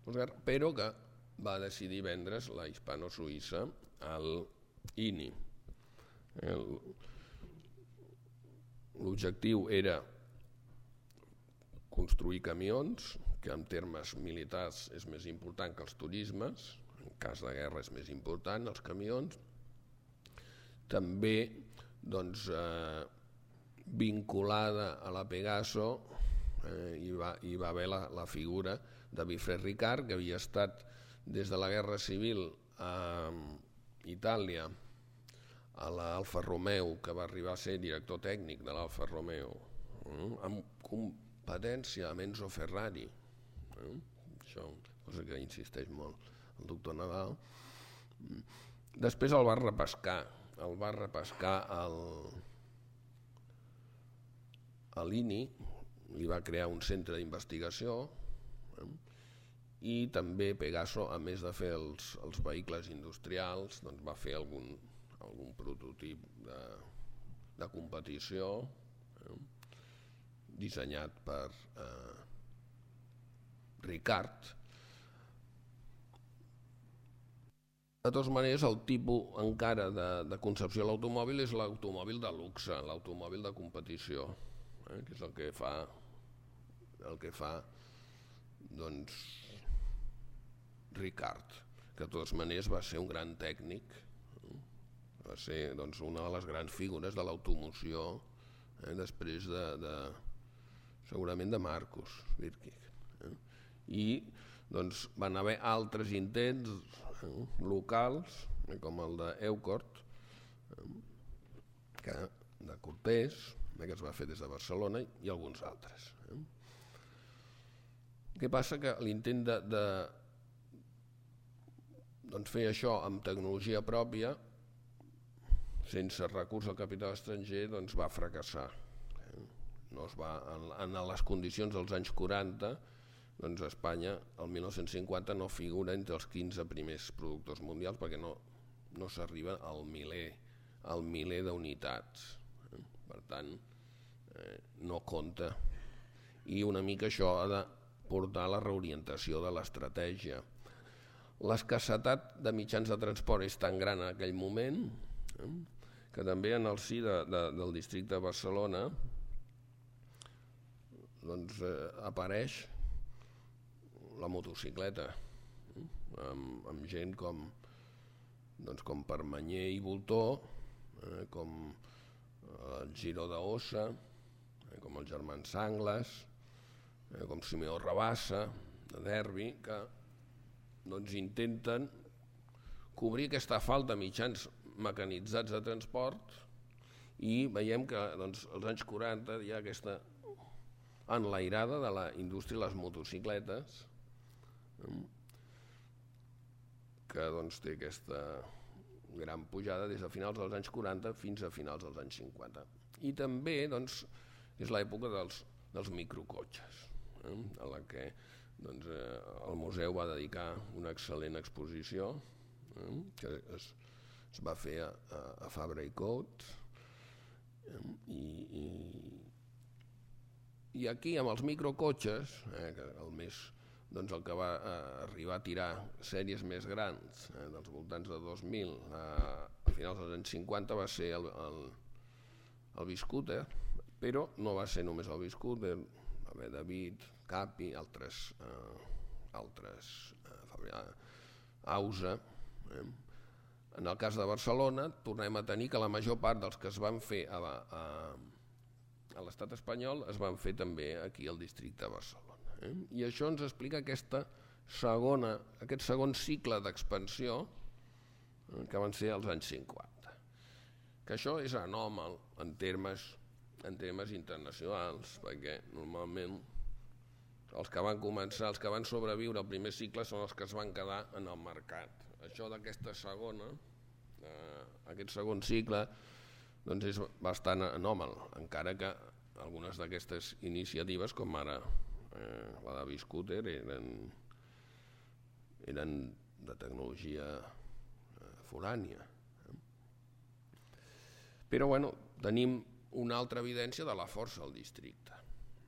postguerra, però que va decidir vendre's la hispano-suïssa al I N I. L'objectiu era construir camions, que en termes militars és més important que els turismes, en cas de guerra és més important, els camions. També doncs, eh, vinculada a la Pegaso eh, hi, va, hi va haver la, la figura de Wilfred Ricard, que havia estat des de la Guerra Civil a Itàlia a l'Alfa Romeo, que va arribar a ser director tècnic de l'Alfa Romeo, eh, amb competència amb Enzo Ferrari. Eh? Això, cosa que insisteix molt el doctor Nadal. Després el va repescar, el va repescar el, a l'I N I, li va crear un centre d'investigació, eh? I també Pegaso, a més de fer els, els vehicles industrials, doncs va fer algun, algun prototip de, de competició, eh, dissenyat per eh, Ricard. De totes maneres, el tipus encara de, de concepció de l'automòbil és l'automòbil de luxe, l'automòbil de competició, eh, que és el que fa, el que fa doncs, Ricard, que de totes maneres va ser un gran tècnic, eh, va ser doncs, una de les grans figures de l'automoció, eh, després de, de, segurament de Marcus Birkig. Eh, I doncs, van haver altres intents eh, locals, eh, com el d'Eucort, eh, que, de Cortés, eh, que es va fer des de Barcelona, i alguns altres. Eh. Què passa? Que l'intent de, de doncs, fer això amb tecnologia pròpia, sense recurs al capital estranger, doncs, va fracassar. Eh. No es va, en, en les condicions dels anys quaranta, doncs Espanya, el mil nou-cents cinquanta, no figura entre els quinze primers productors mundials perquè no, no s'arriba al miler, al miler d'unitats. Eh? Per tant, eh, no compta. I una mica això ha de portar a la reorientació de l'estratègia. L'escassetat de mitjans de transport és tan gran en aquell moment, eh, que també en el si de, de, del districte de Barcelona doncs, eh, apareix la motocicleta, eh, amb, amb gent com, doncs, com Permanyer i Voltó, eh, com el Giró d'Ossa, eh, com els germans Sangles, eh, com Simeó Rabassa, de Derbi, que doncs, intenten cobrir aquesta falta de mitjans mecanitzats de transport, i veiem que doncs, als anys quaranta hi ha aquesta enlairada de la indústria de les motocicletes, que doncs, té aquesta gran pujada des de finals dels anys quaranta fins a finals dels anys cinquanta. I també doncs, és l'època dels, dels microcotxes, eh, a la que doncs, eh, el museu va dedicar una excel·lent exposició, eh, que es, es va fer a, a Fabra i Coats, eh, i, i, i aquí amb els microcotxes, eh, que el més doncs el que va eh, arribar a tirar sèries més grans, eh, dels voltants de dos mil eh, a finals dels anys cinquanta, va ser el, el, el Biscooter, però no va ser només el Biscooter, va haver David, Capi, altres, eh, altres eh, Ausa. Eh. En el cas de Barcelona tornem a tenir que la major part dels que es van fer a, a, a l'estat espanyol es van fer també aquí al districte de Barcelona. Eh? I això ens explica aquesta segona, aquest segon cicle d'expansió, eh, que van ser als anys cinquanta. Que això és anòmal en termes, en termes internacionals, perquè normalment els que van començar, els que van sobreviure al primer cicle són els que es van quedar en el mercat. Això d'aquesta segona, eh, aquest segon cicle, doncs és bastant anòmal, encara que algunes d'aquestes iniciatives, com ara Eh, la de Biscooter, eren, eren de tecnologia eh, forània. Eh? Però bueno, tenim una altra evidència de la força del districte.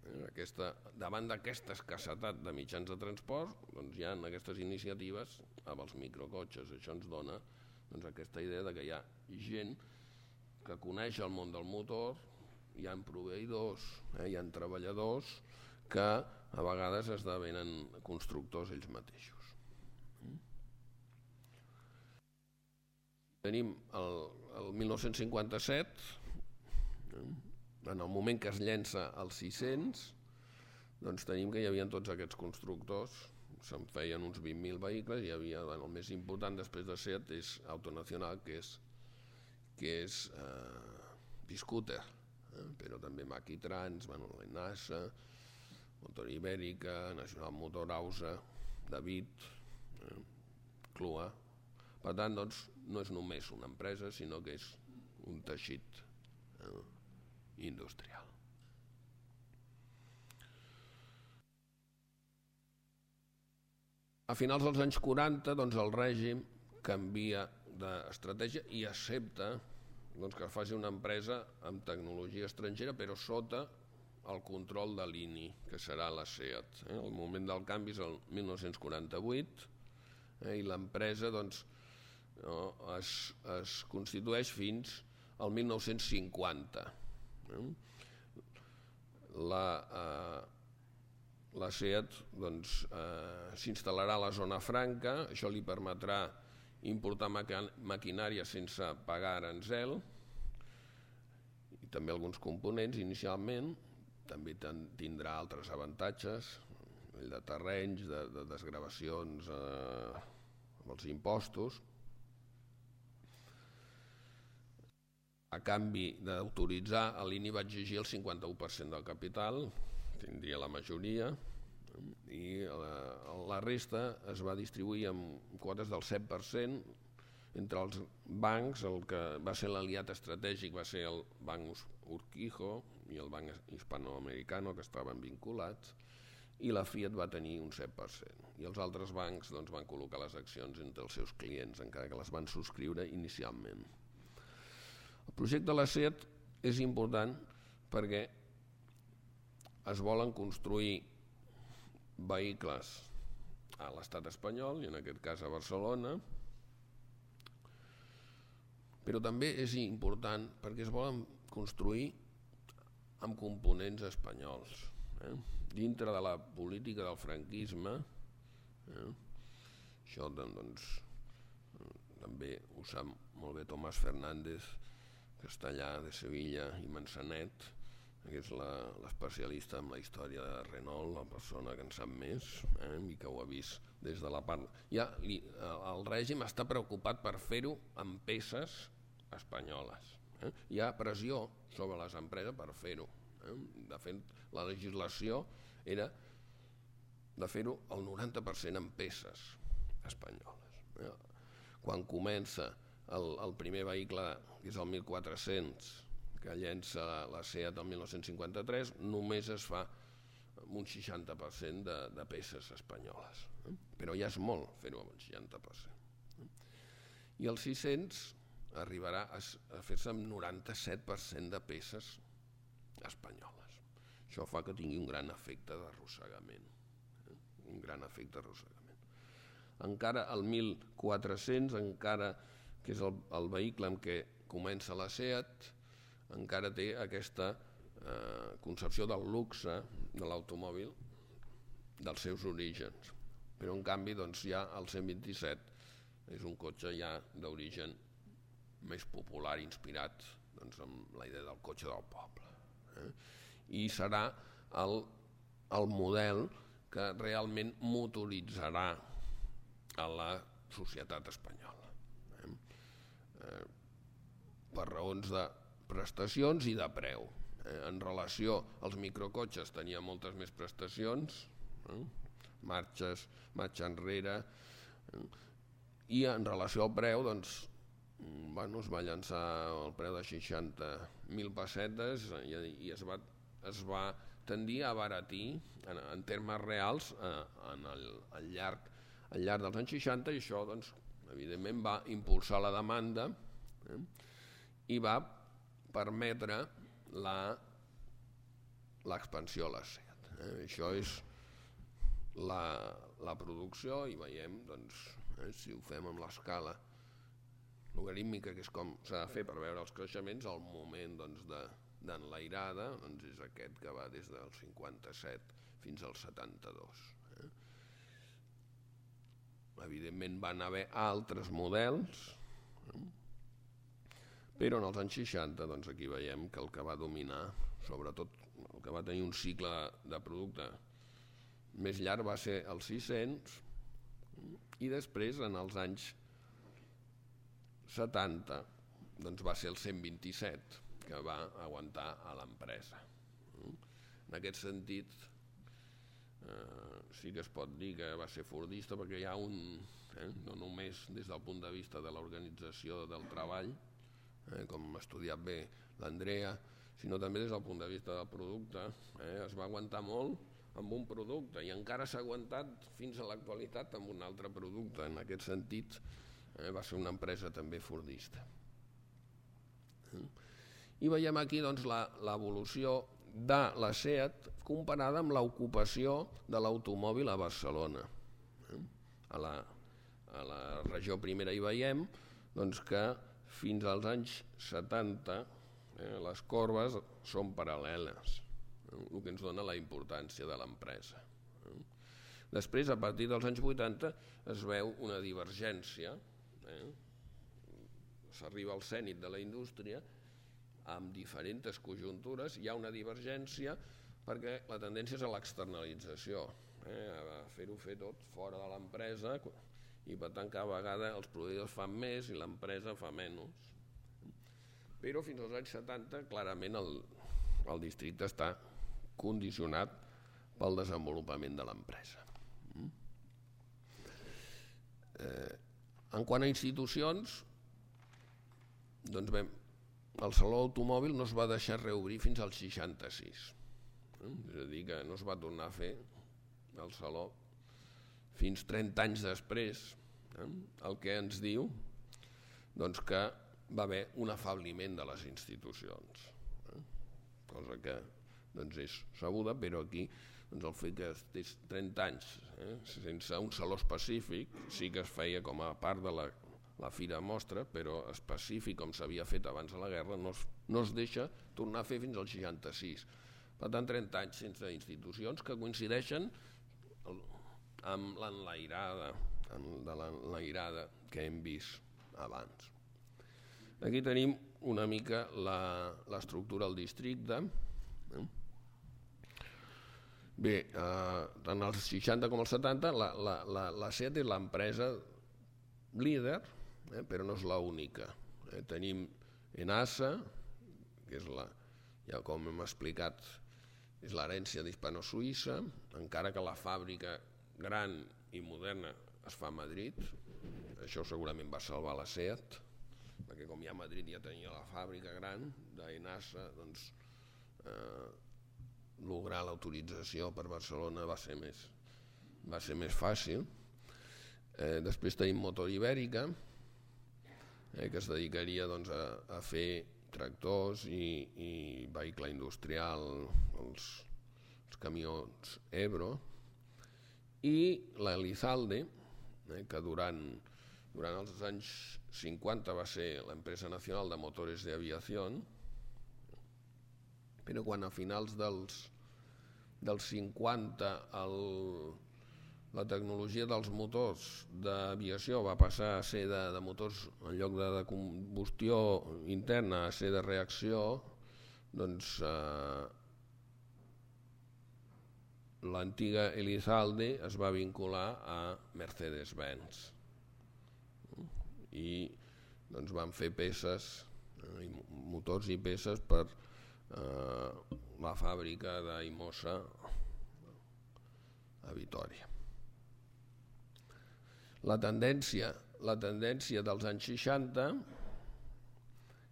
Eh? Aquesta, davant d'aquesta escassetat de mitjans de transport, doncs hi ha aquestes iniciatives amb els microcotxes. Això ens dona doncs, aquesta idea de que hi ha gent que coneix el món del motor, hi ha proveïdors, eh? hi ha treballadors que a vegades esdevenen constructors ells mateixos. Tenim el, el mil nou-cents cinquanta-set, en el moment que es llença el sis-cents, doncs tenim que hi havia tots aquests constructors, se'n feien uns vint mil vehicles, hi havia, bueno, el més important després de Seat és Autonacional, que és, que és eh, Biscooter, eh, però també Maquitrans, bueno, la NASA, Motor Ibèrica, Nacional Motor Ausa, David, eh, Clua. Per tant, doncs, no és només una empresa, sinó que és un teixit eh, industrial. A finals dels anys quaranta, doncs, el règim canvia d'estratègia i accepta doncs, que faci una empresa amb tecnologia estrangera però sota el control de l'I N I, que serà la SEAT. Eh? El moment del canvi és el mil nou-cents quaranta-vuit eh? i l'empresa doncs, no, es, es constitueix fins al mil nou-cents cinquanta. Eh? La, eh, la SEAT doncs, eh, s'instal·larà a la zona franca, això li permetrà importar maquinària sense pagar aranzel i també alguns components inicialment, també tindrà altres avantatges de terrenys, de, de desgravacions eh, amb els impostos. A canvi d'autoritzar, l'I N I va exigir el cinquanta-u per cent del capital, tindria la majoria, i la, la resta es va distribuir amb quotes del set per cent entre els bancs. El que va ser l'aliat estratègic va ser el Banc Urquijo i el Banc Hispanoamericano, que estaven vinculats, i la Fiat va tenir un set per cent. I els altres bancs doncs, van col·locar les accions entre els seus clients, encara que les van subscriure inicialment. El projecte de la SEAT és important perquè es volen construir vehicles a l'estat espanyol, i en aquest cas a Barcelona, però també és important perquè es volen construir amb components espanyols. Eh? Dintre de la política del franquisme, eh? això doncs, també ho sap molt bé Tomàs Fernández, castellà de Sevilla, i Manzanet, que és l'especialista en la història de Renault, la persona que en sap més, eh, i que ho ha vist des de la part... Ja, li, el règim està preocupat per fer-ho amb peces espanyoles. Eh? Hi ha pressió sobre les empreses per fer-ho. Eh? De fet, la legislació era de fer-ho el noranta per cent amb peces espanyoles. Eh? Quan comença el, el primer vehicle, que és el mil quatre-cents, que llença la SEAT el mil nou-cents cinquanta-tres, només es fa un seixanta per cent de, de peces espanyoles. Eh? Però ja és molt fer-ho amb un seixanta per cent. Eh? I el sis-cents arribarà a, a fer-se amb noranta-set per cent de peces espanyoles. Això fa que tingui un gran efecte d'arrossegament. Eh? Un gran efecte d'arrossegament. Encara el mil quatre-cents, encara que és el, el vehicle amb què comença la SEAT, encara té aquesta eh, concepció del luxe de l'automòbil dels seus orígens. Però en canvi doncs, ja el cent vint-i-set és un cotxe ja d'origen més popular, inspirat doncs, amb la idea del cotxe del poble. Eh? I serà el, el model que realment motoritzarà a la societat espanyola. Eh? Eh, per raons de prestacions i de preu. Eh, en relació als microcotxes tenia moltes més prestacions, eh? marxes, marxa enrere, eh? i en relació al preu doncs, bueno, es va llançar el preu de seixanta mil pessetes i, i es, va, es va tendir a abaratir en, en termes reals eh, en el, al, llarg, al llarg dels anys seixanta, i això doncs, evidentment va impulsar la demanda eh? i va permetre l'expansió a la SEAT. Eh? Això és la, la producció, i veiem, doncs, eh, si ho fem amb l'escala logarítmica, que és com s'ha de fer per veure els creixements, el moment doncs, de, d'enlairada doncs, és aquest que va des del cinquanta-set fins al setanta-dos. Eh? Evidentment van haver altres models, eh? però en els anys seixanta doncs, aquí veiem que el que va dominar, sobretot el que va tenir un cicle de producte més llarg, va ser el sis-cents, i després en els anys setanta doncs, va ser el cent vint-i-set que va aguantar a l'empresa. En aquest sentit eh, sí que es pot dir que va ser fordista, perquè hi ha un, eh, no només des del punt de vista de l'organització del treball, eh, com ha estudiat bé l'Andrea, sinó també des del punt de vista del producte. Eh, es va aguantar molt amb un producte i encara s'ha aguantat fins a l'actualitat amb un altre producte. En aquest sentit, eh, va ser una empresa també fordista. I veiem aquí doncs, l'evolució de la SEAT comparada amb l'ocupació de l'automòbil a Barcelona. A la, a la regió primera hi veiem doncs, que fins als anys setanta eh, les corbes són paral·leles, eh, el que ens dona la importància de l'empresa. Eh. Després, a partir dels anys vuitanta, es veu una divergència, eh, s'arriba al zènit de la indústria amb diferents conjuntures, hi ha una divergència perquè la tendència és a l'externalització, eh, a fer-ho fer tot fora de l'empresa i per tant cada vegada els proveïdors fan més i l'empresa fa menys. Però fins als anys setanta clarament el, el districte està condicionat pel desenvolupament de l'empresa. Eh, en quant a institucions, doncs bé, el Saló Automòbil no es va deixar reobrir fins al seixanta-sis, eh? És a dir, que no es va tornar a fer el Saló fins trenta anys després, eh? El que ens diu doncs, que va haver un afebliment de les institucions, eh? Cosa que doncs, és sabuda, però aquí doncs, el fet que estigués trenta anys eh? sense un saló específic, sí que es feia com a part de la la Fira Mostra, però específic com s'havia fet abans de la guerra, no es, no es deixa tornar a fer fins al seixanta-sis. Per tant, trenta anys sense institucions que coincideixen amb l'enlairada, amb l'enlairada que hem vist abans. Aquí tenim una mica l'estructura del districte. Bé, eh, tant als seixanta com als setanta, la, la, la, la SEAT és l'empresa líder, eh, però no és l'única. Eh, tenim ENASA, que és la, ja com hem explicat, és l'herència d'Hispano-Suïssa, encara que la fàbrica gran i moderna es fa a Madrid. Això segurament va salvar la SEAT, perquè com ja a Madrid ja tenia la fàbrica gran d'ENASA, doncs eh, lograr l'autorització per Barcelona va ser més, va ser més fàcil. Eh, després tenim Motor Ibèrica, eh, que es dedicaria doncs, a, a fer tractors i, i vehicle industrial, els, els camions Ebro, i l'Elizalde, eh, que durant, durant els anys cinquanta va ser l'empresa nacional de motores de aviació, però quan a finals dels, dels cinquanta el, la tecnologia dels motors d'aviació va passar a ser de, de motors, en lloc de, de combustió interna, a ser de reacció, doncs eh, l'antiga Elizalde es va vincular a Mercedes-Benz i doncs van fer peces, eh, motors i peces per eh, la fàbrica d'Aimosa a Vitòria. La tendència, la tendència dels anys seixanta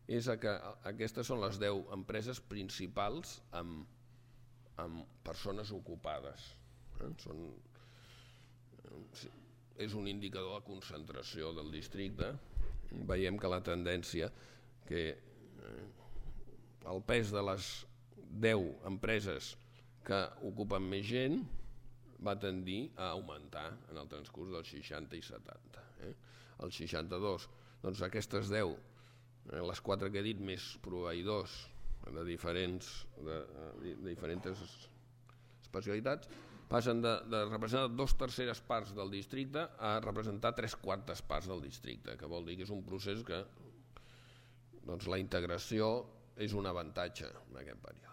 és que aquestes són les deu empreses principals amb, amb persones ocupades. Eh? Són, és un indicador de concentració del districte. Veiem que la tendència, que eh, el pes de les deu empreses que ocupen més gent va tendir a augmentar en el transcurs dels seixanta i setanta. Eh? El seixanta-dos, doncs aquestes deu, eh, les quatre que he dit, més proveïdors de diferents, de, de, de diferents especialitats, passen de, de representar dos terceres parts del districte a representar tres quartes parts del districte, que vol dir que és un procés que doncs, la integració és un avantatge en aquest període.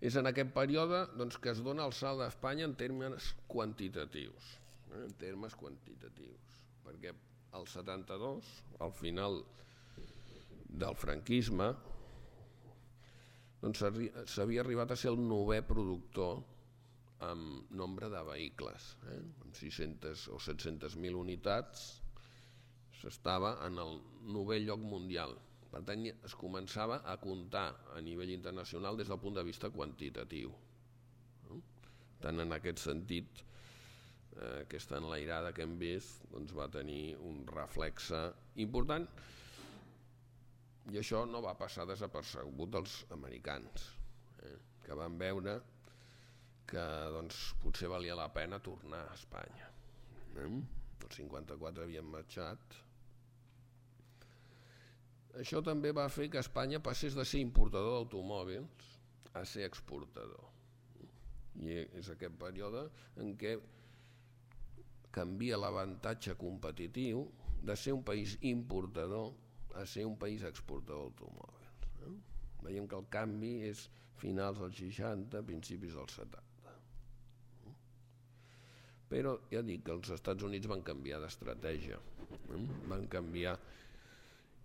És en aquest període doncs, que es dona el salt d'Espanya en termes quantitatius, eh? en termes quantitatius, perquè al setanta-dos, al final del franquisme, doncs, s'havia arribat a ser el novè productor amb nombre de vehicles, eh? amb sis-centes o set-centes mil unitats, s'estava en el novè lloc mundial. Per tant, es començava a comptar a nivell internacional des del punt de vista quantitatiu. Tant en aquest sentit, eh, aquesta enlairada que hem vist doncs va tenir un reflexe important, i això no va passar desapercebut dels americans, eh, que van veure que doncs, potser valia la pena tornar a Espanya. Eh? El cinquanta-quatre havien marxat. Això també va fer que Espanya passés de ser importador d'automòbils a ser exportador. I és aquest període en què canvia l'avantatge competitiu de ser un país importador a ser un país exportador d'automòbils. Eh? Veiem que el canvi és finals dels seixanta, principis dels setanta. Però ja dic que els Estats Units van canviar d'estratègia. Eh? Van canviar,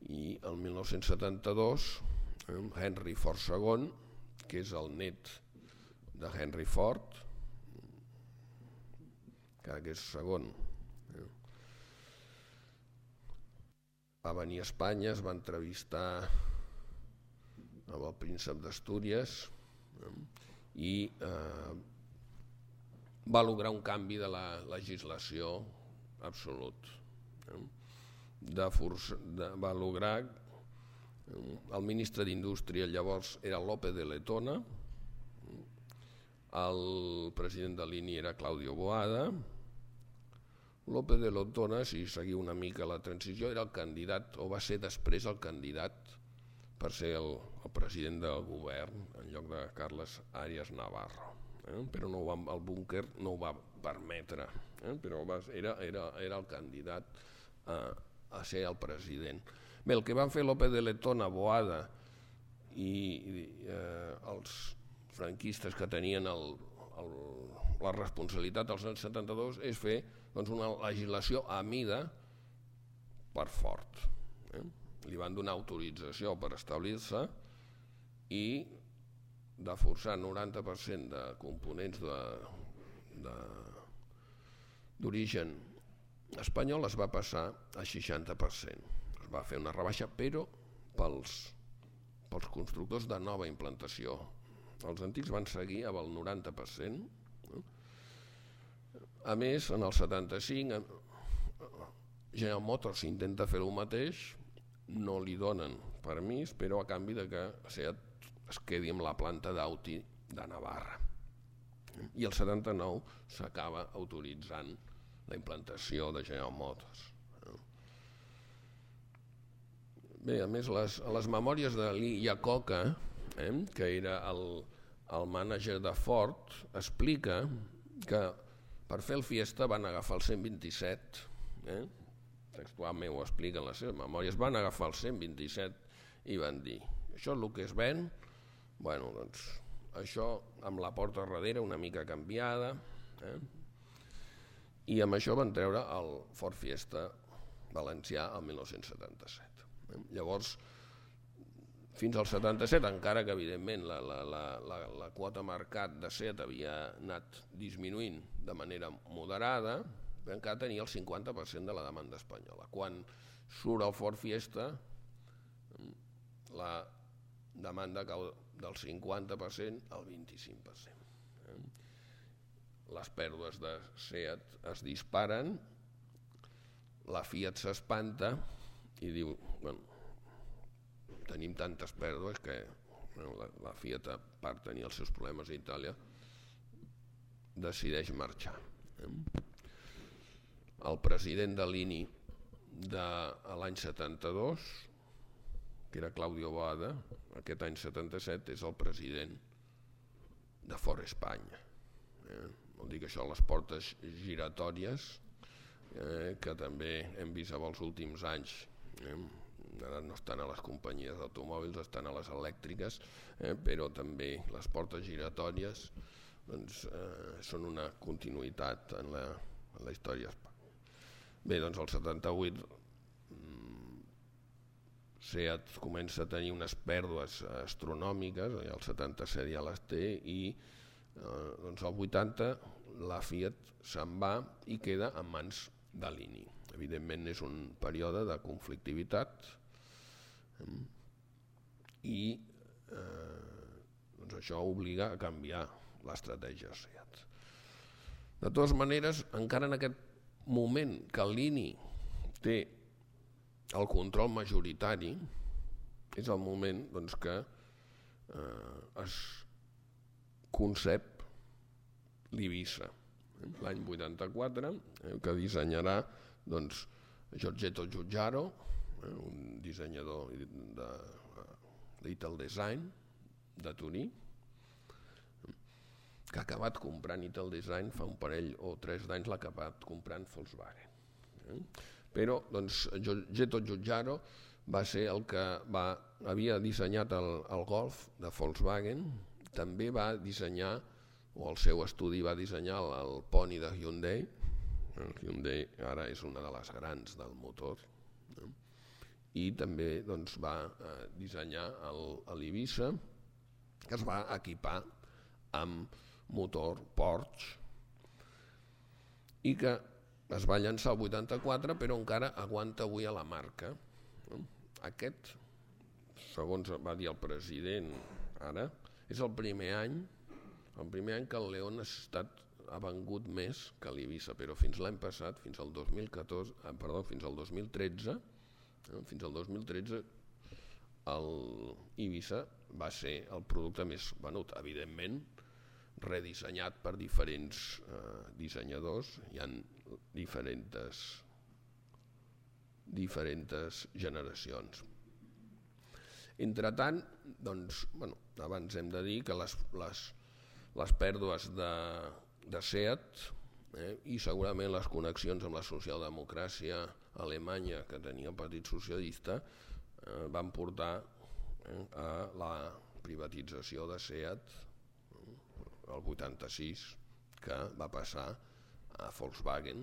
i el mil nou-cents setanta-dos eh, Henry Ford segon, que és el net de Henry Ford, que és segon, eh? va venir a Espanya, es va entrevistar amb el príncep d'Astúries eh? i eh, va lograr un canvi de la legislació absolut. Eh? De força, de, va lograr, eh, el ministre d'Indústria llavors era López de Letona, el president de l'I N I era Claudio Boada. López de Letona, si seguiu una mica la transició, era el candidat, o va ser després el candidat per ser el, el president del govern en lloc de Carles Arias Navarro. Eh? Però no va, el búnquer no ho va permetre, eh? Però va, era, era, era el candidat a, a ser el president. Bé, el que van fer López de Letona, Boada i, i eh, els franquistes que tenien el, el, la responsabilitat als anys setanta-dos és fer doncs, una legislació a mida per Ford. Eh? Li van donar autorització per establir-se i de forçar noranta per cent de components d'origen espanyol es va passar a seixanta per cent. Es va fer una rebaixa, però pels, pels constructors de nova implantació. Els antics van seguir amb el noranta per cent. A més, en el setanta-cinc, General Motors intenta fer el mateix, no li donen permís, però a canvi de que Seat es quedi amb la planta d'Audi de Navarra. I el setanta-nou s'acaba autoritzant la implantació de General Motors. Bé, a més, les, les memòries de Lee Iacocca, eh, que era el, el mànager de Ford, explica que per fer el Fiesta van agafar el cent vint-i-set, eh, textualment ho explica en les seves memòries, van agafar el cent vint-i-set i van dir, això és el que es ven, bueno, doncs això amb la porta darrere una mica canviada, eh, i amb això van treure el Ford Fiesta valencià el mil nou-cents setanta-set. Eh. Llavors, fins al setanta-set, encara que evidentment la, la, la, la, la quota mercat de Seat havia anat disminuint de manera moderada, encara tenia el cinquanta per cent de la demanda espanyola. Quan surt el Ford Fiesta, la demanda cau del cinquanta per cent al vint-i-cinc per cent. Les pèrdues de Seat es disparen, la Fiat s'espanta i diu, bueno, tenim tantes pèrdues que bueno, la, la Fiat, a part tenir els seus problemes a Itàlia, decideix marxar. El president de l'I N I de l'any setanta-dos, que era Claudio Boada, aquest any setanta-set és el president de Ford Espanya. Eh? Vol dir que això, les portes giratòries, eh, que també hem vist en els últims anys, eh? Ara no estan a les companyies d'automòbils, estan a les elèctriques, eh? Però també les portes giratòries doncs, eh, són una continuïtat en la, en la història espanyola. Bé, doncs el setanta-vuit Seat comença a tenir unes pèrdues astronòmiques, el setanta-set ja les té, i eh, doncs al vuitanta la Fiat se'n va i queda en mans de l'I N I. Evidentment és un període de conflictivitat eh, i eh, doncs això obliga a canviar l'estratègia Seat. De totes maneres, encara en aquest moment que l'I N I té el control majoritari, és el moment doncs, que eh, es concep l'Eivissa, eh? l'any vuitanta-quatre, eh, que dissenyarà doncs, Giorgetto Giugiaro, eh, un dissenyador de Little Design de Turí, que ha acabat comprant Little Design fa un parell o tres d'anys, l'ha acabat comprant Volkswagen. Eh? Però doncs, Giorgetto Giugiaro va ser el que va, havia dissenyat el, el Golf de Volkswagen, també va dissenyar, o el seu estudi va dissenyar el, el Pony de Hyundai. El Hyundai ara és una de les grans del motor, eh? I també doncs, va eh, dissenyar l'Eivissa, que es va equipar amb motor Porsche i que es va llançar el vuitanta-quatre, però encara aguanta avui a la marca. Aquest, segons va dir el president ara, és el primer any el primer any que el León ha, estat, ha vengut més que l'Eivissa, però fins l'any passat, fins al dos mil catorze, eh, perdó, fins al dos mil tretze, eh, fins al dos mil tretze l'Eivissa va ser el producte més venut, evidentment redissenyat per diferents eh, dissenyadors, hi ha diferents, diferents generacions. Entretant, doncs, bueno, abans hem de dir que les, les, les pèrdues de, de SEAT eh, i segurament les connexions amb la socialdemocràcia alemanya que tenia el Partit Socialista eh, van portar eh, a la privatització de SEAT eh, el vuitanta-sis, que va passar a Volkswagen.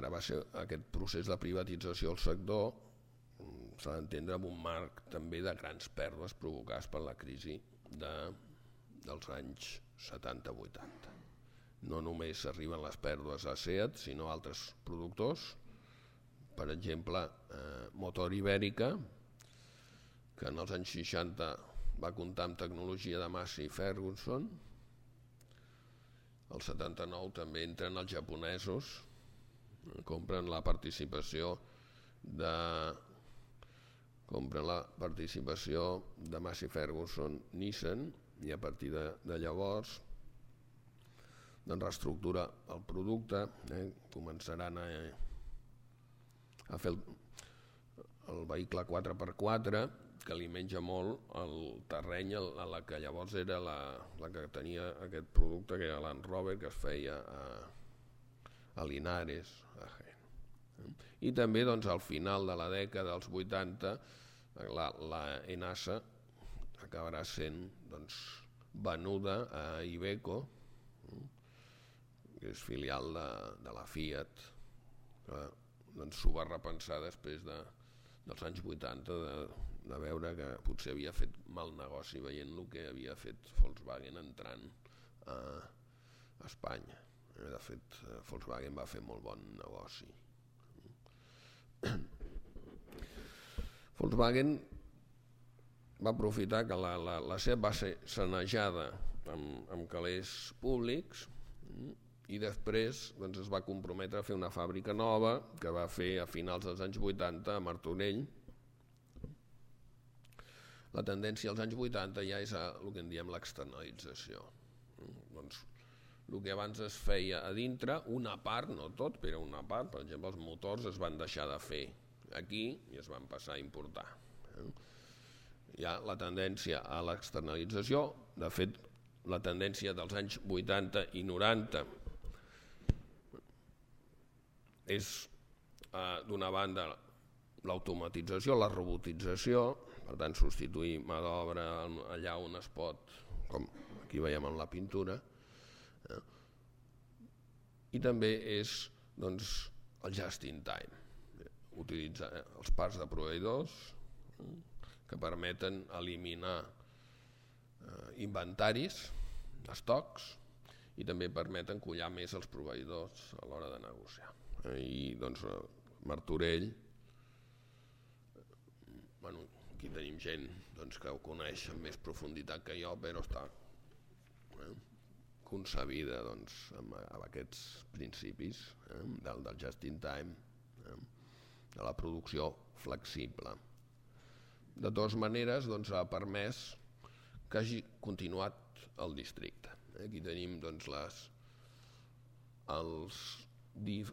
Ara va ser aquest procés de privatització del sector, s'ha d'entendre amb un marc també de grans pèrdues provocades per la crisi de, dels anys setanta vuitanta. No només arriben les pèrdues a SEAT, sinó a altres productors, per exemple, eh, Motor Ibèrica, que en els anys seixanta va comptar amb tecnologia de Massey Ferguson. El setanta-nou també entren els japonesos, compren la participació de compren la participació de Massey Ferguson Nissan i a partir de, de llavors doncs reestructura el producte, eh, començaran a, a fer el, el vehicle quatre per quatre, que li menja molt el terreny a la que llavors era la, la que tenia aquest producte, que era Land Rover, que es feia a, a Linares, a Jaén. I també doncs, al final de la dècada dels vuitanta la, la Enasa acabarà sent doncs, venuda a Iveco, que és filial de, de la Fiat, que doncs, s'ho va repensar després de, dels anys vuitanta de, de veure que potser havia fet mal negoci veient el que havia fet Volkswagen entrant a Espanya. De fet, Volkswagen va fer molt bon negoci. Volkswagen va aprofitar que la, la, la SEAT va ser sanejada amb, amb calés públics i després doncs, es va comprometre a fer una fàbrica nova que va fer a finals dels anys vuitanta a Martorell. La tendència als anys vuitanta ja és a, el que en diem l'externalització. Doncs, el que abans es feia a dintre, una part, no tot, però una part, per exemple, els motors es van deixar de fer aquí i es van passar a importar. Hi ha la tendència a l'externalització, de fet, la tendència dels anys vuitanta i noranta és, eh, d'una banda, l'automatització, la robotització, per tant, substituir mà d'obra allà on es pot, com aquí veiem en la pintura, eh? I també és doncs, el just in time, utilitzar els parcs de proveïdors eh? que permeten eliminar eh, inventaris, estocs, i també permeten collar més els proveïdors a l'hora de negociar. Eh? I doncs, Martorell, bueno, aquí tenim gent doncs, que ho coneix amb més profunditat que jo, però està, eh? concebida doncs, amb, amb aquests principis eh, del, del just in time, eh, de la producció flexible. De totes maneres, doncs, ha permès que hagi continuat el districte. Aquí tenim doncs, les, els,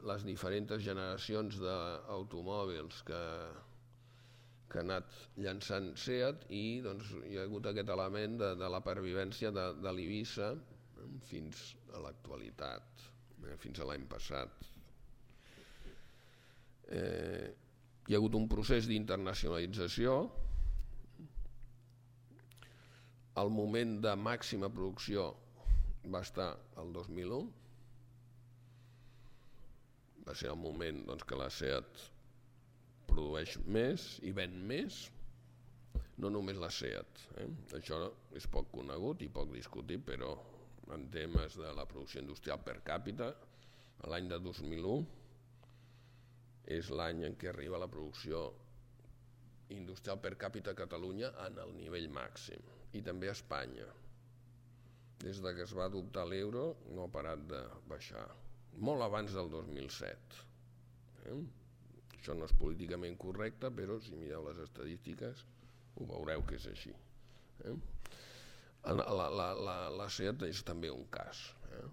les diferents generacions d'automòbils que, que ha anat llançant SEAT i doncs, hi ha hagut aquest element de, de la pervivència de, de l'Ibiza eh, fins a l'actualitat, eh, fins a l'any passat. Eh, hi ha hagut un procés d'internacionalització. El moment de màxima producció va estar el dos mil u. Va ser el moment doncs, que la SEAT produeix més i ven més, no només la SEAT. Eh? Això és poc conegut i poc discutit, però en temes de la producció industrial per càpita, l'any de dos mil u és l'any en què arriba la producció industrial per càpita a Catalunya en el nivell màxim, i també a Espanya. Des que es va adoptar l'euro no ha parat de baixar, molt abans del dos mil set. Eh? Això no és políticament correcte, però si mireu les estadístiques ho veureu que és així. Eh? La, la, la, la SEAT és també un cas. Eh?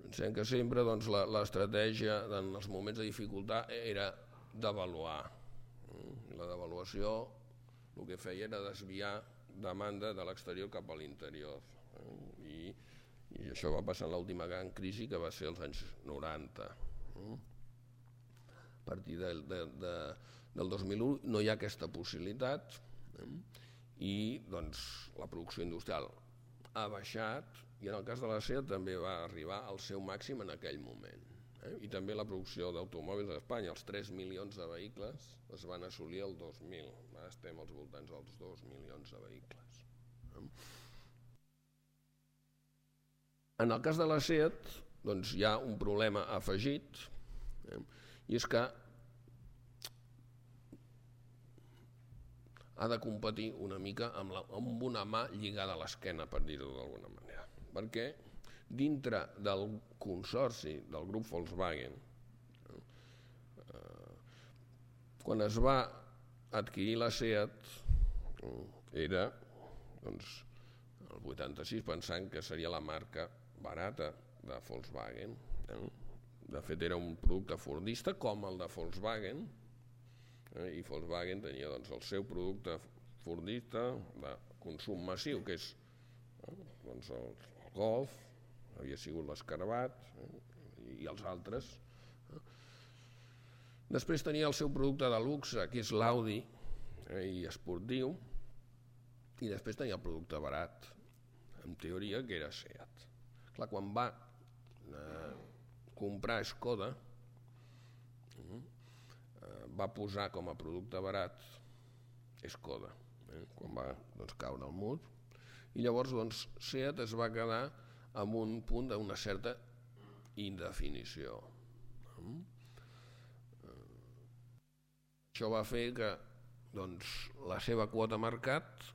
Pensem que sempre doncs, l'estratègia en els moments de dificultat era devaluar. La devaluació el que feia era desviar demanda de l'exterior cap a l'interior. I, I això va passar en l'última gran crisi, que va ser als anys noranta. A partir de, de, de, del dos mil u no hi ha aquesta possibilitat i doncs, la producció industrial ha baixat, i en el cas de la SEAT també va arribar al seu màxim en aquell moment. Eh? I també la producció d'automòbils a Espanya, els tres milions de vehicles es van assolir el dos mil. Ara estem als voltants dels dos milions de vehicles. Eh? En el cas de la SEAT doncs, hi ha un problema afegit, eh? i és que ha de competir una mica amb, la, amb una mà lligada a l'esquena, per dir-ho d'alguna manera. Perquè dintre del consorci del grup Volkswagen, eh, quan es va adquirir la SEAT, eh, era doncs, el vuitanta-sis, pensant que seria la marca barata de Volkswagen. Eh? De fet, era un producte fordista com el de Volkswagen, eh? i Volkswagen tenia doncs, el seu producte fordista de consum massiu, que és eh? doncs, el Golf, havia sigut l'Escarabat eh? i els altres. Eh? Després tenia el seu producte de luxe, que és l'Audi, eh? i esportiu, i després tenia el producte barat, en teoria, que era SEAT. Clar, quan va eh, comprar Skoda, eh, va posar com a producte barat Skoda, eh, quan va doncs, caure al mur, i llavors doncs, SEAT es va quedar amb un punt d'una certa indefinició. Eh? Això va fer que doncs, la seva quota mercat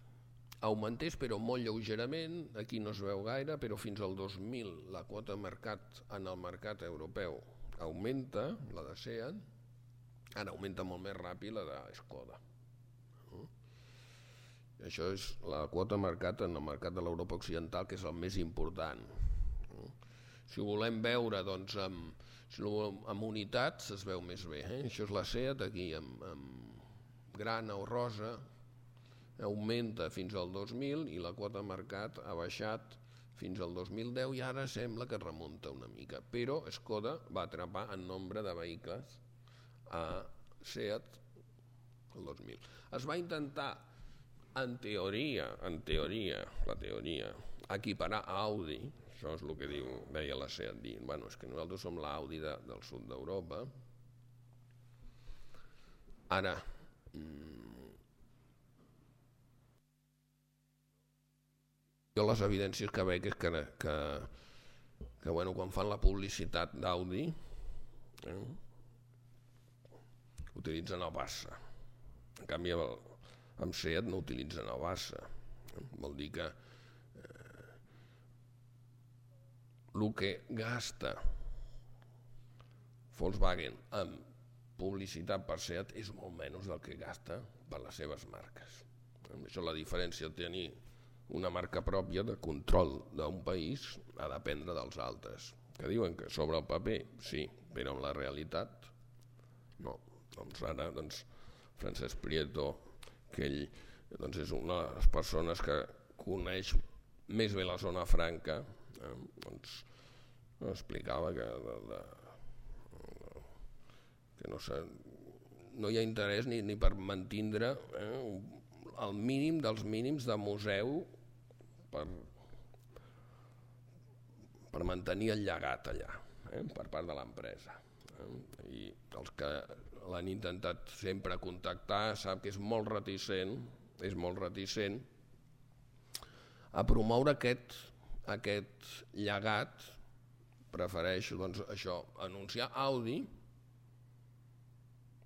augmentés, però molt lleugerament, aquí no es veu gaire, però fins al dos mil la quota mercat en el mercat europeu augmenta, la de SEAT, ara augmenta molt més ràpid la de Skoda. Això és la quota mercat en el mercat de l'Europa Occidental, que és el més important. Si ho volem veure doncs, amb, si ho volem, amb unitats, es veu més bé. Eh? Això és la SEAT, aquí amb, amb grana o rosa, augmenta fins al dos mil i la quota mercat ha baixat fins al dos mil deu i ara sembla que remunta una mica. Però Skoda va atrapar en nombre de vehicles a SEAT el dos mil. Es va intentar, en teoria, en teoria, la teoria, equiparar a Audi, això és el que diu, deia la SEAT, dir, bueno, és que nosaltres som l'Audi de, del sud d'Europa. Ara, jo les evidències que veig és que, que, que bueno, quan fan la publicitat d'Audi eh, utilitzen el Barça. En canvi, amb SEAT no utilitzen el Barça. Eh? Vol dir que eh, el que gasta Volkswagen en publicitat per SEAT és molt menys del que gasta per les seves marques. Això, la diferència de tenir una marca pròpia de control d'un país ha d'aprendre dels altres, que diuen que sobre el paper sí, però en la realitat no. Doncs ara doncs, Francesc Prieto, que ell doncs, és una de les persones que coneix més bé la zona franca, eh, doncs explicava que de, de, que no, sé, no hi ha interès ni, ni per mantindre eh, el mínim dels mínims de museu per, per mantenir el llegat allà, eh, per part de l'empresa. Eh? I els que l'han intentat sempre contactar sap que és molt reticent, és molt reticent a promoure aquest, aquest llegat. Prefereix doncs, això, anunciar Audi,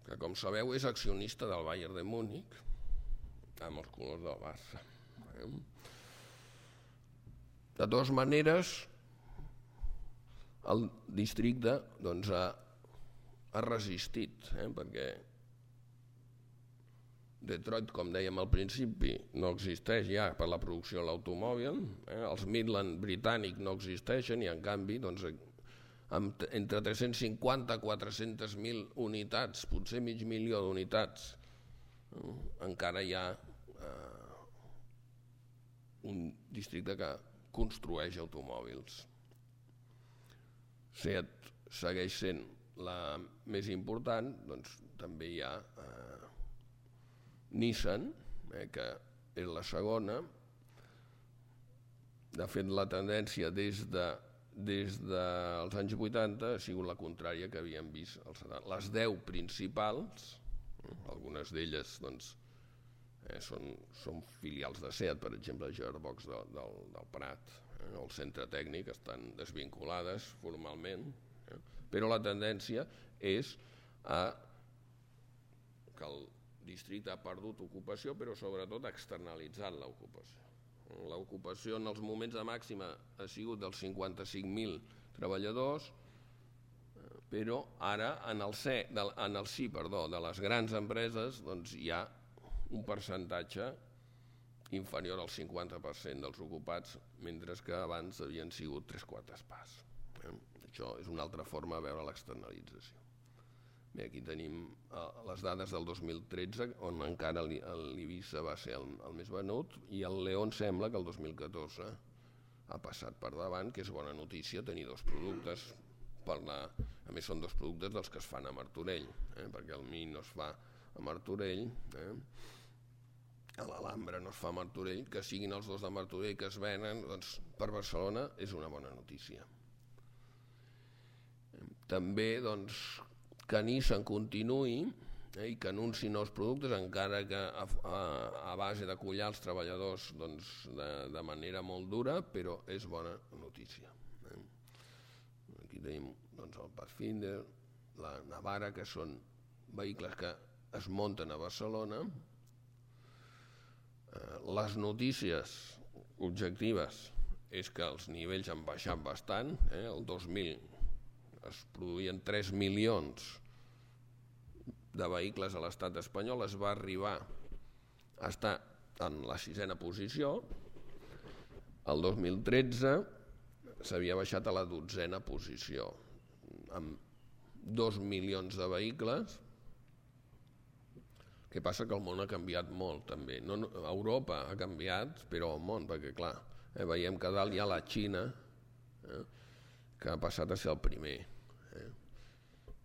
que com sabeu és accionista del Bayern de Múnich, amb els colors del Barça. De totes maneres, el districte doncs, ha, ha resistit, eh, perquè Detroit, com dèiem al principi, no existeix ja per la producció de l'automòbil, eh, els Midland britànics no existeixen i en canvi doncs, amb entre tres-cents cinquanta i quatre-cents mil unitats, potser mig milió d'unitats, eh, encara hi ha eh, un districte que construeix automòbils. SEAT segueix sent la més important, doncs també hi ha eh, Nissan, eh, que és la segona. De fet, la tendència des de des dels anys vuitanta ha sigut la contrària que havíem vist als setanta. Les deu principals, algunes d'elles doncs, eh, són, són filials de SEAT, per exemple, Gearbox de, del, del Prat, eh, el centre tècnic, estan desvinculades formalment, eh, però la tendència és a que el districte ha perdut ocupació, però sobretot ha externalitzat l'ocupació. L'ocupació en els moments de màxima ha sigut dels cinquanta-cinc mil treballadors, però ara en el, C, en el sí perdó, de les grans empreses doncs, hi ha un percentatge inferior al cinquanta per cent dels ocupats, mentre que abans havien sigut tres quartes parts. Eh? Això és una altra forma de veure l'externalització. Bé, aquí tenim uh, les dades del dos mil tretze, on encara l'Ibiza va ser el, el més venut, i el León sembla que el dos mil catorze ha passat per davant, que és bona notícia tenir dos productes. Per la... A més, són dos productes dels que es fan a Martorell, eh? perquè el Mi no es fa a Martorell, eh? l'Alhambra no es fa a Martorell, que siguin els dos de Martorell que es venen, doncs, per Barcelona és una bona notícia. També, doncs, que Nissan continuï eh, i que anunciï nous productes, encara que a, a, a base de collar els treballadors doncs, de, de manera molt dura, però és bona notícia. Eh. Aquí tenim doncs, el Pathfinder, la Navara, que són vehicles que es munten a Barcelona. Eh, les notícies objectives és que els nivells han baixat bastant, eh, el dos mil es produïen tres milions de vehicles a l'estat espanyol, es va arribar a estar en la sisena posició, el dos mil tretze s'havia baixat a la dotzena posició, amb dos milions de vehicles. El que passa que el món ha canviat molt també. No, Europa ha canviat, però el món, perquè clar, eh, veiem que dalt hi ha la Xina, eh, que ha passat a ser el primer. Eh?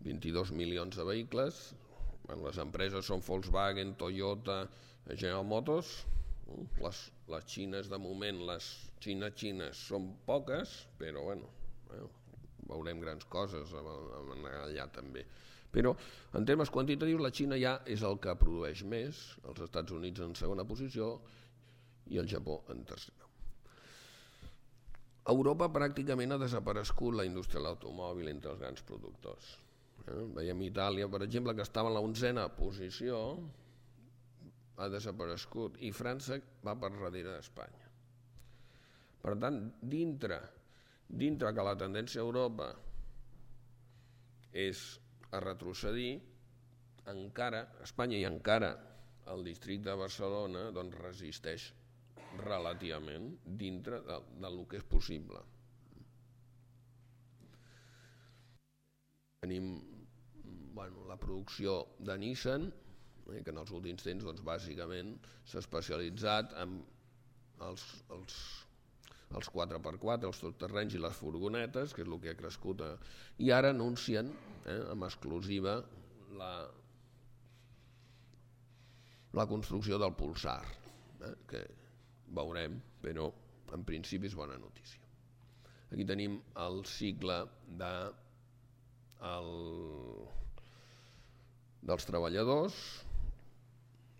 vint-i-dos milions de vehicles, les empreses són Volkswagen, Toyota, General Motors, les, les xines de moment, les xines-xines són poques, però bueno, eh, veurem grans coses allà també. Però en termes quantitatius la Xina ja és el que produeix més, els Estats Units en segona posició i el Japó en tercera. A Europa pràcticament ha desaparegut la indústria de l'automòbil entre els grans productors. Eh? Veiem Itàlia, per exemple, que estava en la onzena posició, ha desaparegut, i França va per darrere d'Espanya. Per tant, dintre dintre que la tendència a Europa és a retrocedir, encara, Espanya i encara el districte de Barcelona doncs, resisteix relativament dintre de, del que és possible. Tenim bueno, la producció de Nissan, eh, que en els últims temps doncs, bàsicament s'ha especialitzat en els, els, els quatre per quatre, els totterrenys i les furgonetes, que és el que ha crescut, eh, i ara anuncien eh, amb exclusiva la, la construcció del Pulsar, eh, que veurem, però en principi és bona notícia. Aquí tenim el cicle de, el, dels treballadors.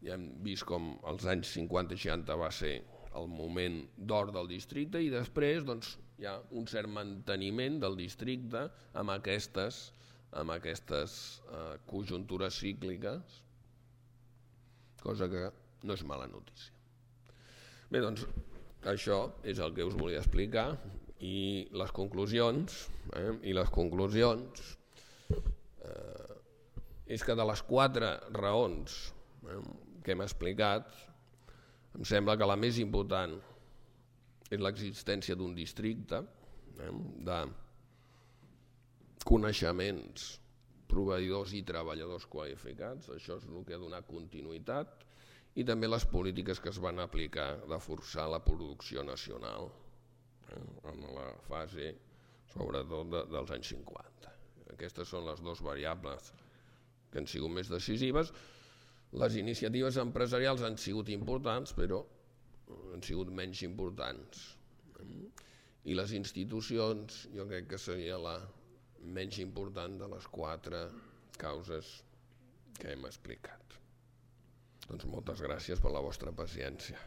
Ja hem vist com als anys cinquanta i seixanta va ser el moment d'or del districte i després doncs, hi ha un cert manteniment del districte amb aquestes, amb aquestes eh, conjuntures cícliques, cosa que no és mala notícia. Bé, doncs això és el que us volia explicar i les conclusions, eh, i les conclusions eh, és que de les quatre raons eh, que hem explicat, em sembla que la més important és l'existència d'un districte eh, de coneixements, proveïdors i treballadors qualificats, això és el que ha donat continuïtat, i també les polítiques que es van aplicar de forçar la producció nacional eh, en la fase, sobretot, de, dels anys cinquanta. Aquestes són les dues variables que han sigut més decisives. Les iniciatives empresarials han sigut importants, però han sigut menys importants. I les institucions, jo crec que seria la menys important de les quatre causes que hem explicat. Doncs moltes gràcies per la vostra paciència.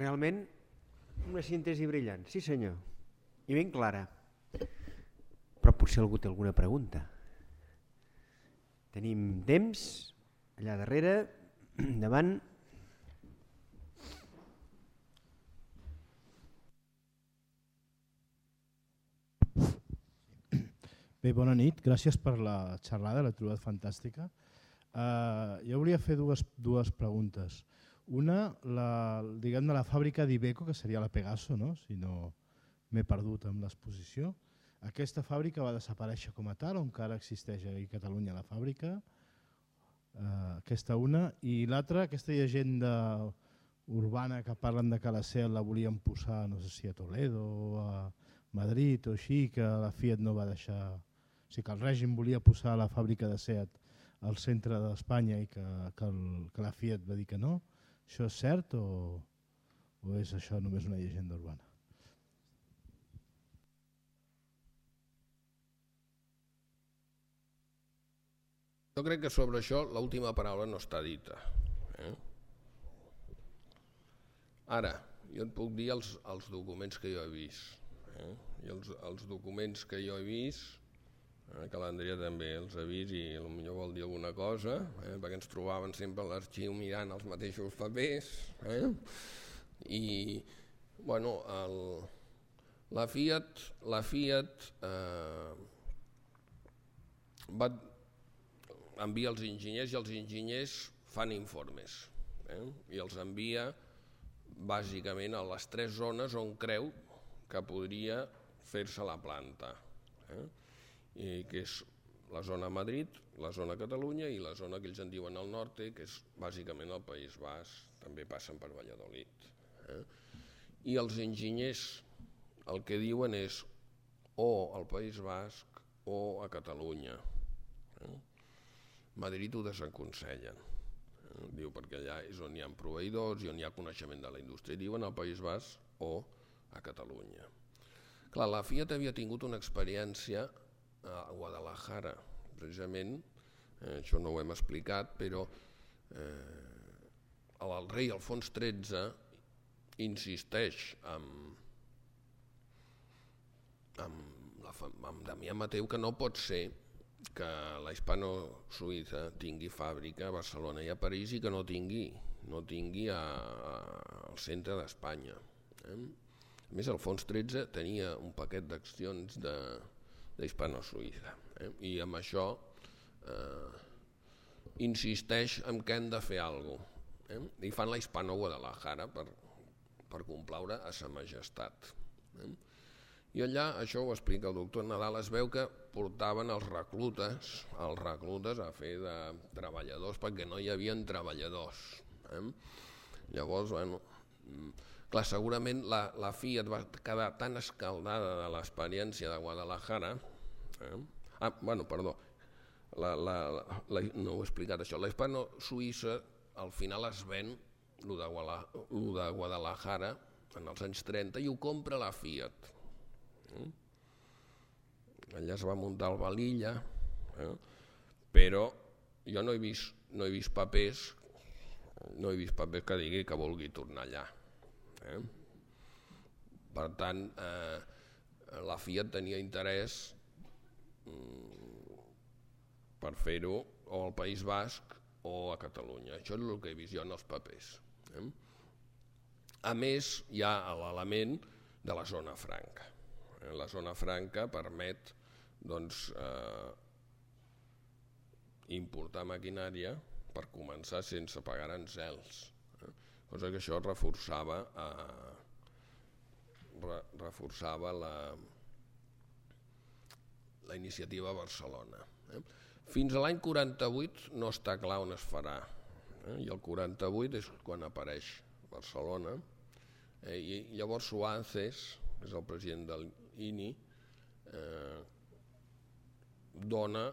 Realment, una síntesi brillant, sí senyor, i ben clara. Però potser algú té alguna pregunta. Tenim temps, allà darrere, davant. Bé, bona nit, gràcies per la xerrada, l'he trobat fantàstica. Uh, jo volia fer dues, dues preguntes. Una, la, diguem de la fàbrica d'Iveco, que seria la Pegaso, no? Si no m'he perdut amb l'exposició. Aquesta fàbrica va desaparèixer com a tal, o encara existeix a Catalunya la fàbrica? Uh, aquesta una. I l'altra, aquesta llegenda urbana que parlen de que la SEAT la volien posar, no sé si a Toledo o a Madrid o així, que la Fiat no va deixar... O sigui, que el règim volia posar la fàbrica de SEAT al centre d'Espanya i que, que, el, que la Fiat va dir que no. Això és cert o, o és això només una llegenda urbana? Jo crec que sobre això l'última paraula no està dita. Eh? Ara, jo et puc dir els, els documents que jo he vist. Eh? I els, els documents que jo he vist, eh, que l'Andrea també els ha vist i potser vol dir alguna cosa, eh? perquè ens trobaven sempre a l'arxiu mirant els mateixos papers. Eh? I, bueno, el, la Fiat, la Fiat eh, va envia els enginyers i els enginyers fan informes eh? i els envia bàsicament a les tres zones on creu que podria fer-se la planta, eh? I que és la zona Madrid, la zona Catalunya i la zona que ells en diuen al nord, que és bàsicament el País Basc, també passen per Valladolid. Eh? I els enginyers el que diuen és o al País Basc o a Catalunya. Eh? Madrid ho desaconsellen, eh? Diu perquè allà és on hi ha proveïdors i on hi ha coneixement de la indústria. Diuen al País Basc o a Catalunya. Clar, la Fiat havia tingut una experiència a Guadalajara, precisament, eh, això no ho hem explicat, però eh, el rei Alfons tretze insisteix amb, amb, la, amb Damià Mateu que no pot ser que la Hispano-Suïssa tingui fàbrica a Barcelona i a París i que no tingui, no tingui a, a, al centre d'Espanya. Eh? A més, el Fons tretze tenia un paquet d'accions de, d'Hispano-Suïssa, eh? I amb això eh, insisteix en que hem de fer alguna cosa. Eh? I fan la Hispano-Guadalajara per, per complaure a sa majestat. Eh? I allà, això ho explica el doctor Nadal, es veu que portaven els reclutes, els reclutes a fer de treballadors perquè no hi havia treballadors. Eh? Llavors, bueno, clar, segurament la, la Fiat va quedar tan escaldada de l'experiència de Guadalajara, eh? ah, bueno, perdó, la, la, la, no ho he explicat això, la Hispano-Suïssa al final es ven lo de, lo de Guadalajara en els anys trenta i ho compra la Fiat. Eh? Allà es va muntar el Valilla, eh? Però jo no he vist, no he vist papers, no he vist papers que digui que vulgui tornar allà. Eh? Per tant, eh, la Fiat tenia interès mm, per fer-ho o al País Basc o a Catalunya. Això és el que he vist jo en els papers. Eh? A més, hi ha l'element de la zona franca. La zona franca permet doncs, eh, importar maquinària per començar sense pagar aranzels, eh? Cosa que això reforçava, eh, re, reforçava la, la iniciativa a Barcelona. Eh? Fins a l'any quaranta-vuit no està clar on es farà, eh? I el quaranta-vuit és quan apareix Barcelona, eh? I llavors Suárez, és el president del I N I, eh, dona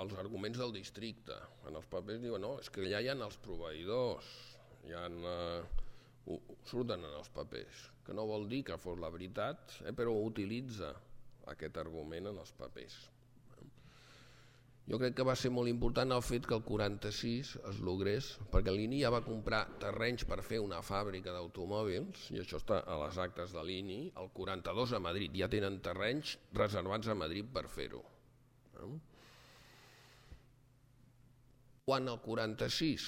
els arguments del districte. En els papers diuen, no, és que allà hi ha els proveïdors, hi ha, eh, surten en els papers, que no vol dir que fos la veritat, eh, però utilitza aquest argument en els papers. Jo crec que va ser molt important el fet que el quaranta-sis es logrés, perquè l'I N I ja va comprar terrenys per fer una fàbrica d'automòbils, i això està a les actes de l'I N I, el quaranta-dos a Madrid, ja tenen terrenys reservats a Madrid per fer-ho. Quan el quaranta-sis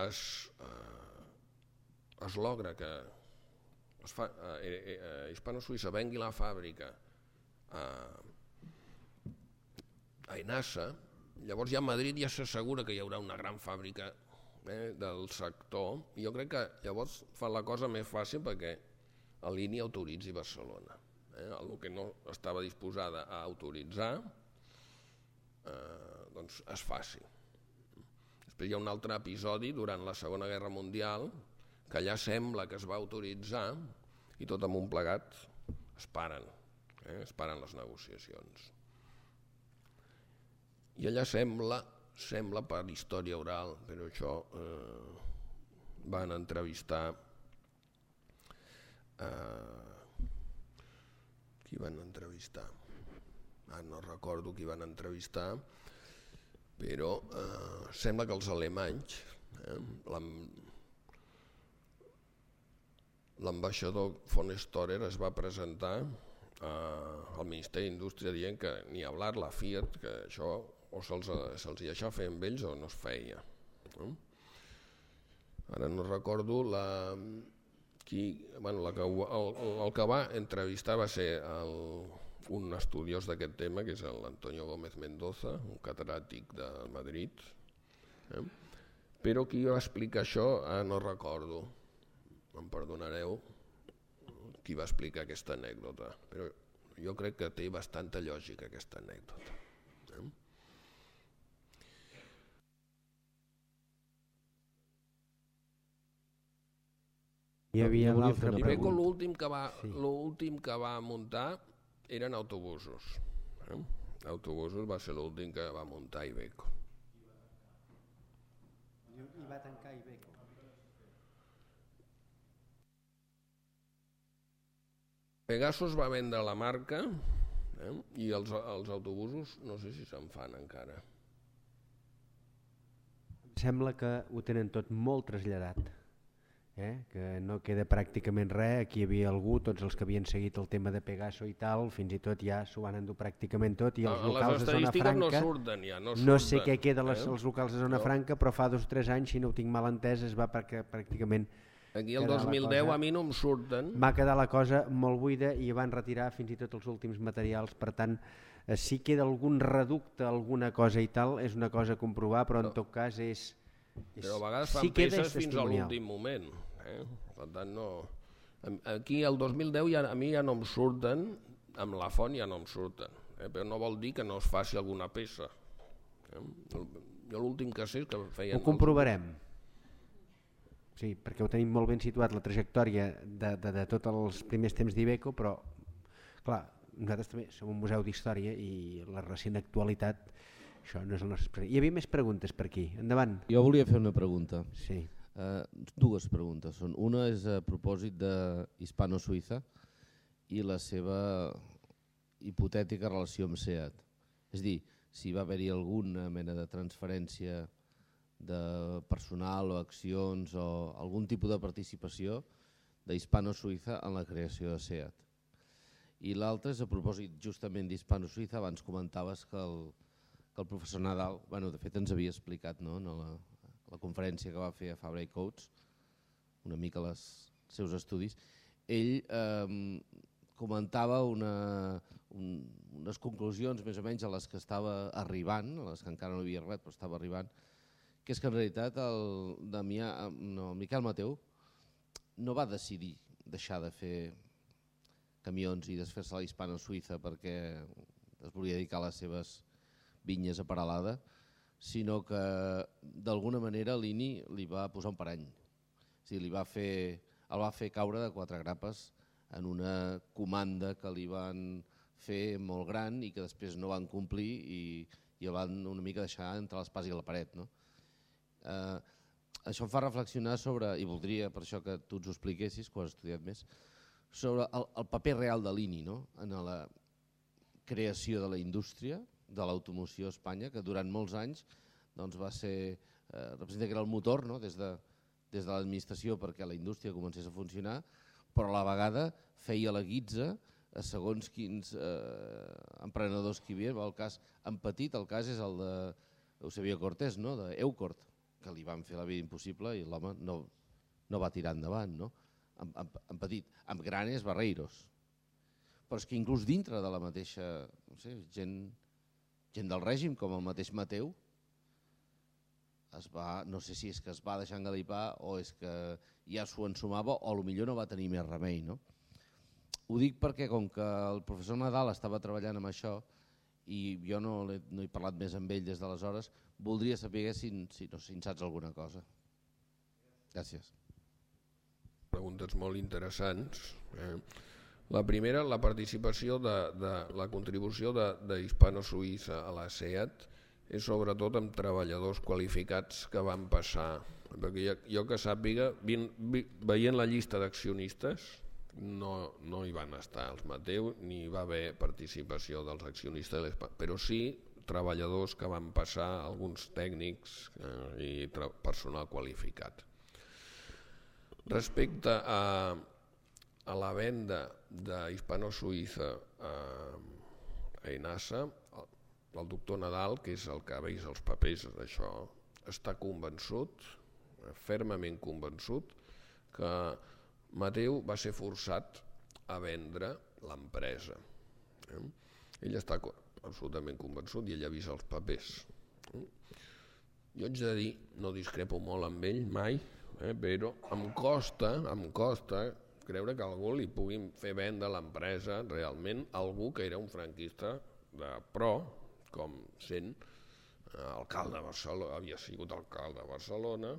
es, eh, es logra que es fa, eh, eh, Hispano-Suïssa vengui la fàbrica a a Enasa, llavors ja a Madrid ja s'assegura que hi haurà una gran fàbrica, eh, del sector, i jo crec que llavors fa la cosa més fàcil perquè l'I N I autoritzi Barcelona. Eh, el que no estava disposada a autoritzar, eh, doncs es faci. Després hi ha un altre episodi durant la Segona Guerra Mundial que allà sembla que es va autoritzar i tot amunt plegat es paren, eh, es paren les negociacions. I allà sembla, sembla per història oral, però això eh, van entrevistar eh, qui van entrevistar? Ah, no recordo qui van entrevistar, però eh, sembla que els alemanys, eh, l'ambaixador von Storer es va presentar eh, al Ministeri d'Indústria dient que ni hablar la Fiat, que això o se'ls se deixava fer amb ells o no es feia. No? Ara no recordo la, qui, bueno, la que, el, el que va entrevistar va ser el, un estudiós d'aquest tema, que és l'Antonio Gómez Mendoza, un catedràtic de Madrid, eh? Però qui va explicar això ah, no recordo, em perdonareu, qui va explicar aquesta anècdota, però jo crec que té bastanta lògica aquesta anècdota. Eh? Hi havia l'altra pregunta. L'últim que, va, sí. l'últim que va muntar eren autobusos. Eh? Autobusos va ser l'últim que va muntar Iveco. I va tancar Iveco. Pegasus va vendre la marca, eh? I els, els autobusos no sé si se'n fan encara. Sembla que ho tenen tot molt traslladat. eh? Que no queda pràcticament res. Aquí hi havia algú, tots els que havien seguit el tema de Pegaso i tal, fins i tot ja s'ho van endur pràcticament tot, i els locals de zona franca, no surten ja, no, no surten, sé què queda les, eh? els locals de zona no. franca, però fa dos o tres anys, si no ho tinc mal entès, es va pràcticament... Aquí el dos mil deu cosa, a mi no em surten. Va quedar la cosa molt buida i van retirar fins i tot els últims materials, per tant, eh, si queda algun reducte, alguna cosa i tal, és una cosa a comprovar, però en no. tot cas és... és però a vegades fan si peces fins a l'últim moment. Eh? Per tant, no... Aquí el dos mil deu ja, a mi ja no em surten, amb la font ja no em surten, eh? Però no vol dir que no es faci alguna peça. Eh? Jo l'últim que sé és que feien... Ho comprovarem. Els... Sí, perquè ho tenim molt ben situat, la trajectòria de, de, de tots els primers temps d'Iveco, però, clar, nosaltres també som un museu d'història i la recent actualitat, això no és el nostre... Hi havia més preguntes per aquí, endavant. Jo volia fer una pregunta. Sí. Uh, dues preguntes són. Una és a propòsit de Hispano-Suïssa i la seva hipotètica relació amb SEAT. És a dir, si va haver-hi alguna mena de transferència de personal o accions o algun tipus de participació d'Hispano-Suïssa en la creació de SEAT. I l'altra és a propòsit justament d'Hispano-Suïssa. Abans comentaves que el, que el professor Nadal, bueno, de fet ens havia explicat, no?, en la, la conferència que va fer a Fabra i Coats, una mica els seus estudis, ell eh, comentava una, un, unes conclusions més o menys a les que estava arribant, a les que encara no havia arribat però estava arribant, que és que en realitat el, Damià, no, el Miquel Mateu no va decidir deixar de fer camions i desfer-se a la Hispano-Suïssa perquè es volia dedicar a les seves vinyes a Peralada, sinó que d'alguna manera l'Ini li va posar un parany. O sigui, li va fer, el va fer caure de quatre grapes en una comanda que li van fer molt gran i que després no van complir i, i el van una mica deixar entre l'espàs i la paret, no? Eh, això em fa reflexionar sobre, i voldria per això que tu ens ho expliquessis, que ho has estudiat més, sobre el, el paper real de l'Ini, no?, en la creació de la indústria de l'automoció a Espanya, que durant molts anys doncs, va ser, eh, representa que era el motor, no?, des de, des de l'administració perquè la indústria comencés a funcionar, però a la vegada feia la guitza a segons quins eh, emprenedors que hi havia. El cas en petit, el cas és el de Eusebio Cortés, no?, d'Eucort, que li van fer la vida impossible i l'home no, no va tirar endavant, no?, en, en, en petit, amb granes barreiros. Però és que inclús dintre de la mateixa, no sé, gent, gent del règim, com el mateix Mateu, es va, no sé si és que es va deixar engalipar o és que ja s'ho ensumava o potser no va tenir més remei, no? Ho dic perquè com que el professor Nadal estava treballant amb això i jo no, no he parlat més amb ell des d'aleshores, voldria saber si, si, no, si en saps alguna cosa. Gràcies. Preguntes molt interessants. Eh? La primera, la participació de, de la contribució d'Hispano-Suïssa a la SEAT és sobretot amb treballadors qualificats que van passar, perquè jo, jo que sàpiga, veient la llista d'accionistes, no, no hi van estar els Mateu, ni hi va haver participació dels accionistes, però sí treballadors que van passar, alguns tècnics eh, i personal qualificat. Respecte a, a la venda d'Hispano-Suïssa a, a Enasa, el doctor Nadal, que és el que ha vist els papers d'això, està convençut, fermament convençut, que Mateu va ser forçat a vendre l'empresa. Eh? Ell està absolutament convençut i ell ha vist els papers. Eh? Jo haig de dir, no discrepo molt amb ell mai, eh? però em costa, em costa creure que algú li pugui fer vendre l'empresa realment a algú que era un franquista de pro, com sent alcalde de Barcelona, havia sigut alcalde de Barcelona,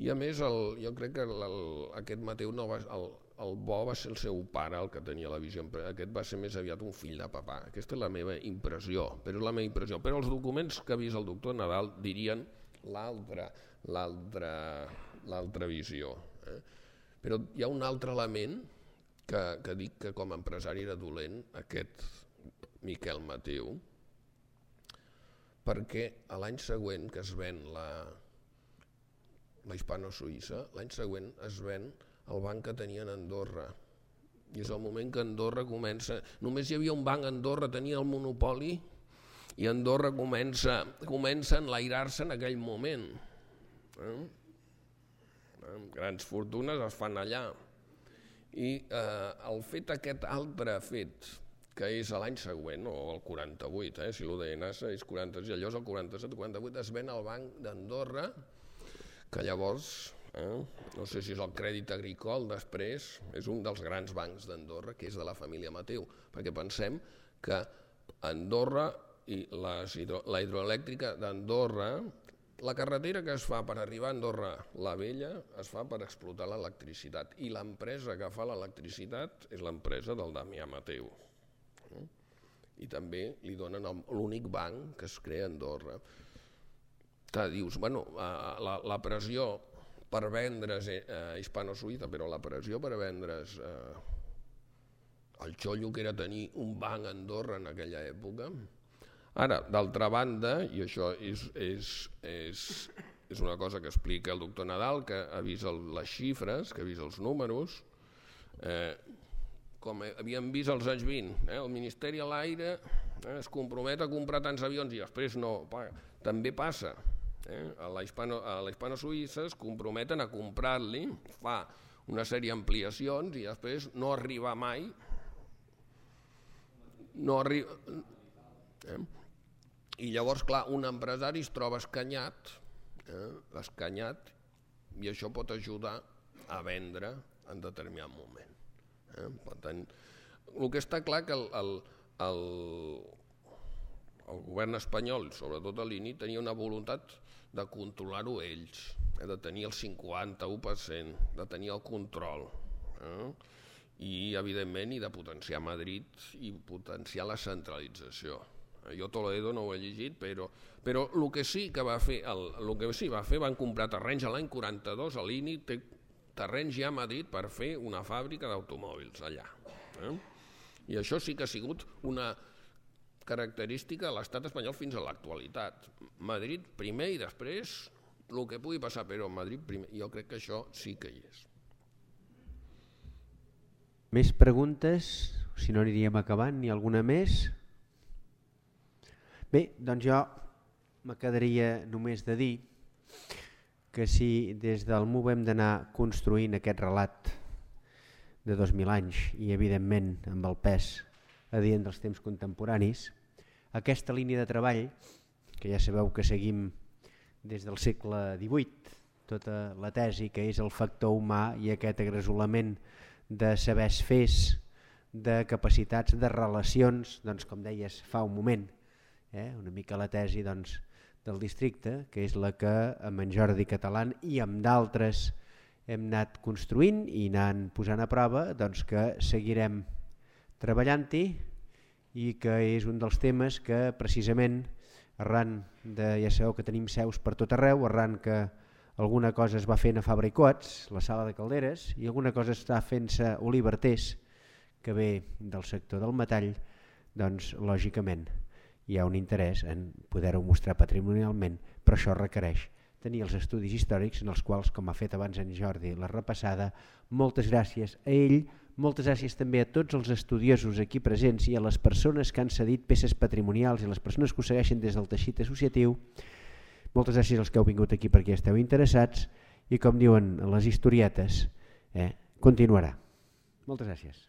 i a més el, jo crec que el, el, aquest Mateu no va, el, el bo va ser el seu pare, el que tenia la visió, aquest va ser més aviat un fill de papà. Aquesta és la meva impressió, però és la meva impressió. Però els documents que ha vist el doctor Nadal dirien l'altra, l'altra, l'altra visió. Eh? Però hi ha un altre element que, que dic que com a empresari era dolent, aquest Miquel Mateu, perquè a l'any següent que es ven la, la hispano-suïssa, l'any següent es ven el banc que tenien a Andorra. I és el moment que Andorra comença... Només hi havia un banc a Andorra, tenia el monopoli, i Andorra comença, comença a enlairar-se en aquell moment. Eh? Grans fortunes es fan allà. I eh, el fet aquest altre fet, que és l'any següent, o el quaranta-vuit, eh, si l'U D N és quaranta-sis, llavors el quaranta-set quaranta-vuit es ven al Banc d'Andorra, que llavors, eh, no sé si és el Crèdit Agricole després, és un dels grans bancs d'Andorra, que és de la família Mateu, perquè pensem que Andorra i les hidro, la hidroelèctrica d'Andorra, la carretera que es fa per arribar a Andorra la Vella es fa per explotar l'electricitat, i l'empresa que fa l'electricitat és l'empresa del Damià Mateu. I també li donen l'únic banc que es crea a Andorra. Que dius, bueno, la, la pressió per vendre's eh, hispano-suïssa, però la pressió per vendre's eh, el xollo que era tenir un banc a Andorra en aquella època. Ara, d'altra banda, i això és, és, és, és una cosa que explica el doctor Nadal, que ha vist el, les xifres, que ha vist els números, eh, com havíem vist als anys vint, eh, el Ministeri a l'Aire eh, es compromet a comprar tants avions i després no, també passa. Eh, a la hispano-suïssa es comprometen a comprar-li, fa una sèrie d'ampliacions i després no arriba mai, no arriba... Eh? I llavors, clar, un empresari es troba escanyat, eh, escanyat, i això pot ajudar a vendre en determinat moment. Eh? Per tant, el que està clar que el, el, el, el govern espanyol, sobretot a l'I N I, tenia una voluntat de controlar-ho ells, eh? De tenir el cinquanta-u per cent, de tenir el control, eh? I, evidentment, i de potenciar Madrid i potenciar la centralització. Jo Toledo no ho he llegit, però, però el que sí que va fer, el, el que sí va fer, van comprar terrenys a l'any quaranta-dos, a l'I N I té terrenys ja a Madrid per fer una fàbrica d'automòbils allà. Eh? I això sí que ha sigut una característica de l'estat espanyol fins a l'actualitat. Madrid primer i després el que pugui passar, però Madrid primer. Jo crec que això sí que hi és. Més preguntes? Si no aniríem acabant, ni alguna més? Bé, doncs jo me quedaria només de dir que si des del M U V hem d'anar construint aquest relat de dos mil anys i evidentment amb el pes adient dels temps contemporanis, aquesta línia de treball, que ja sabeu que seguim des del segle divuit, tota la tesi que és el factor humà i aquest agresolament de sabers fers, de capacitats, de relacions, doncs com deies fa un moment, eh, una mica la tesi doncs, del districte, que és la que amb en Jordi Catalán i amb d'altres hem anat construint i anant posant a prova, doncs que seguirem treballant-hi i que és un dels temes que precisament arran de, ja sabeu que tenim seus per tot arreu, arran que alguna cosa es va fent a Fabra i Coats, la sala de calderes, i alguna cosa està fent-se a Olivertés, que ve del sector del metall, doncs lògicament hi ha un interès en poder-ho mostrar patrimonialment, però això requereix tenir els estudis històrics en els quals, com ha fet abans en Jordi la repassada, moltes gràcies a ell, moltes gràcies també a tots els estudiosos aquí presents i a les persones que han cedit peces patrimonials i a les persones que ho segueixen des del teixit associatiu. Moltes gràcies als que heu vingut aquí perquè esteu interessats i, com diuen les historietes, eh, continuarà. Moltes gràcies.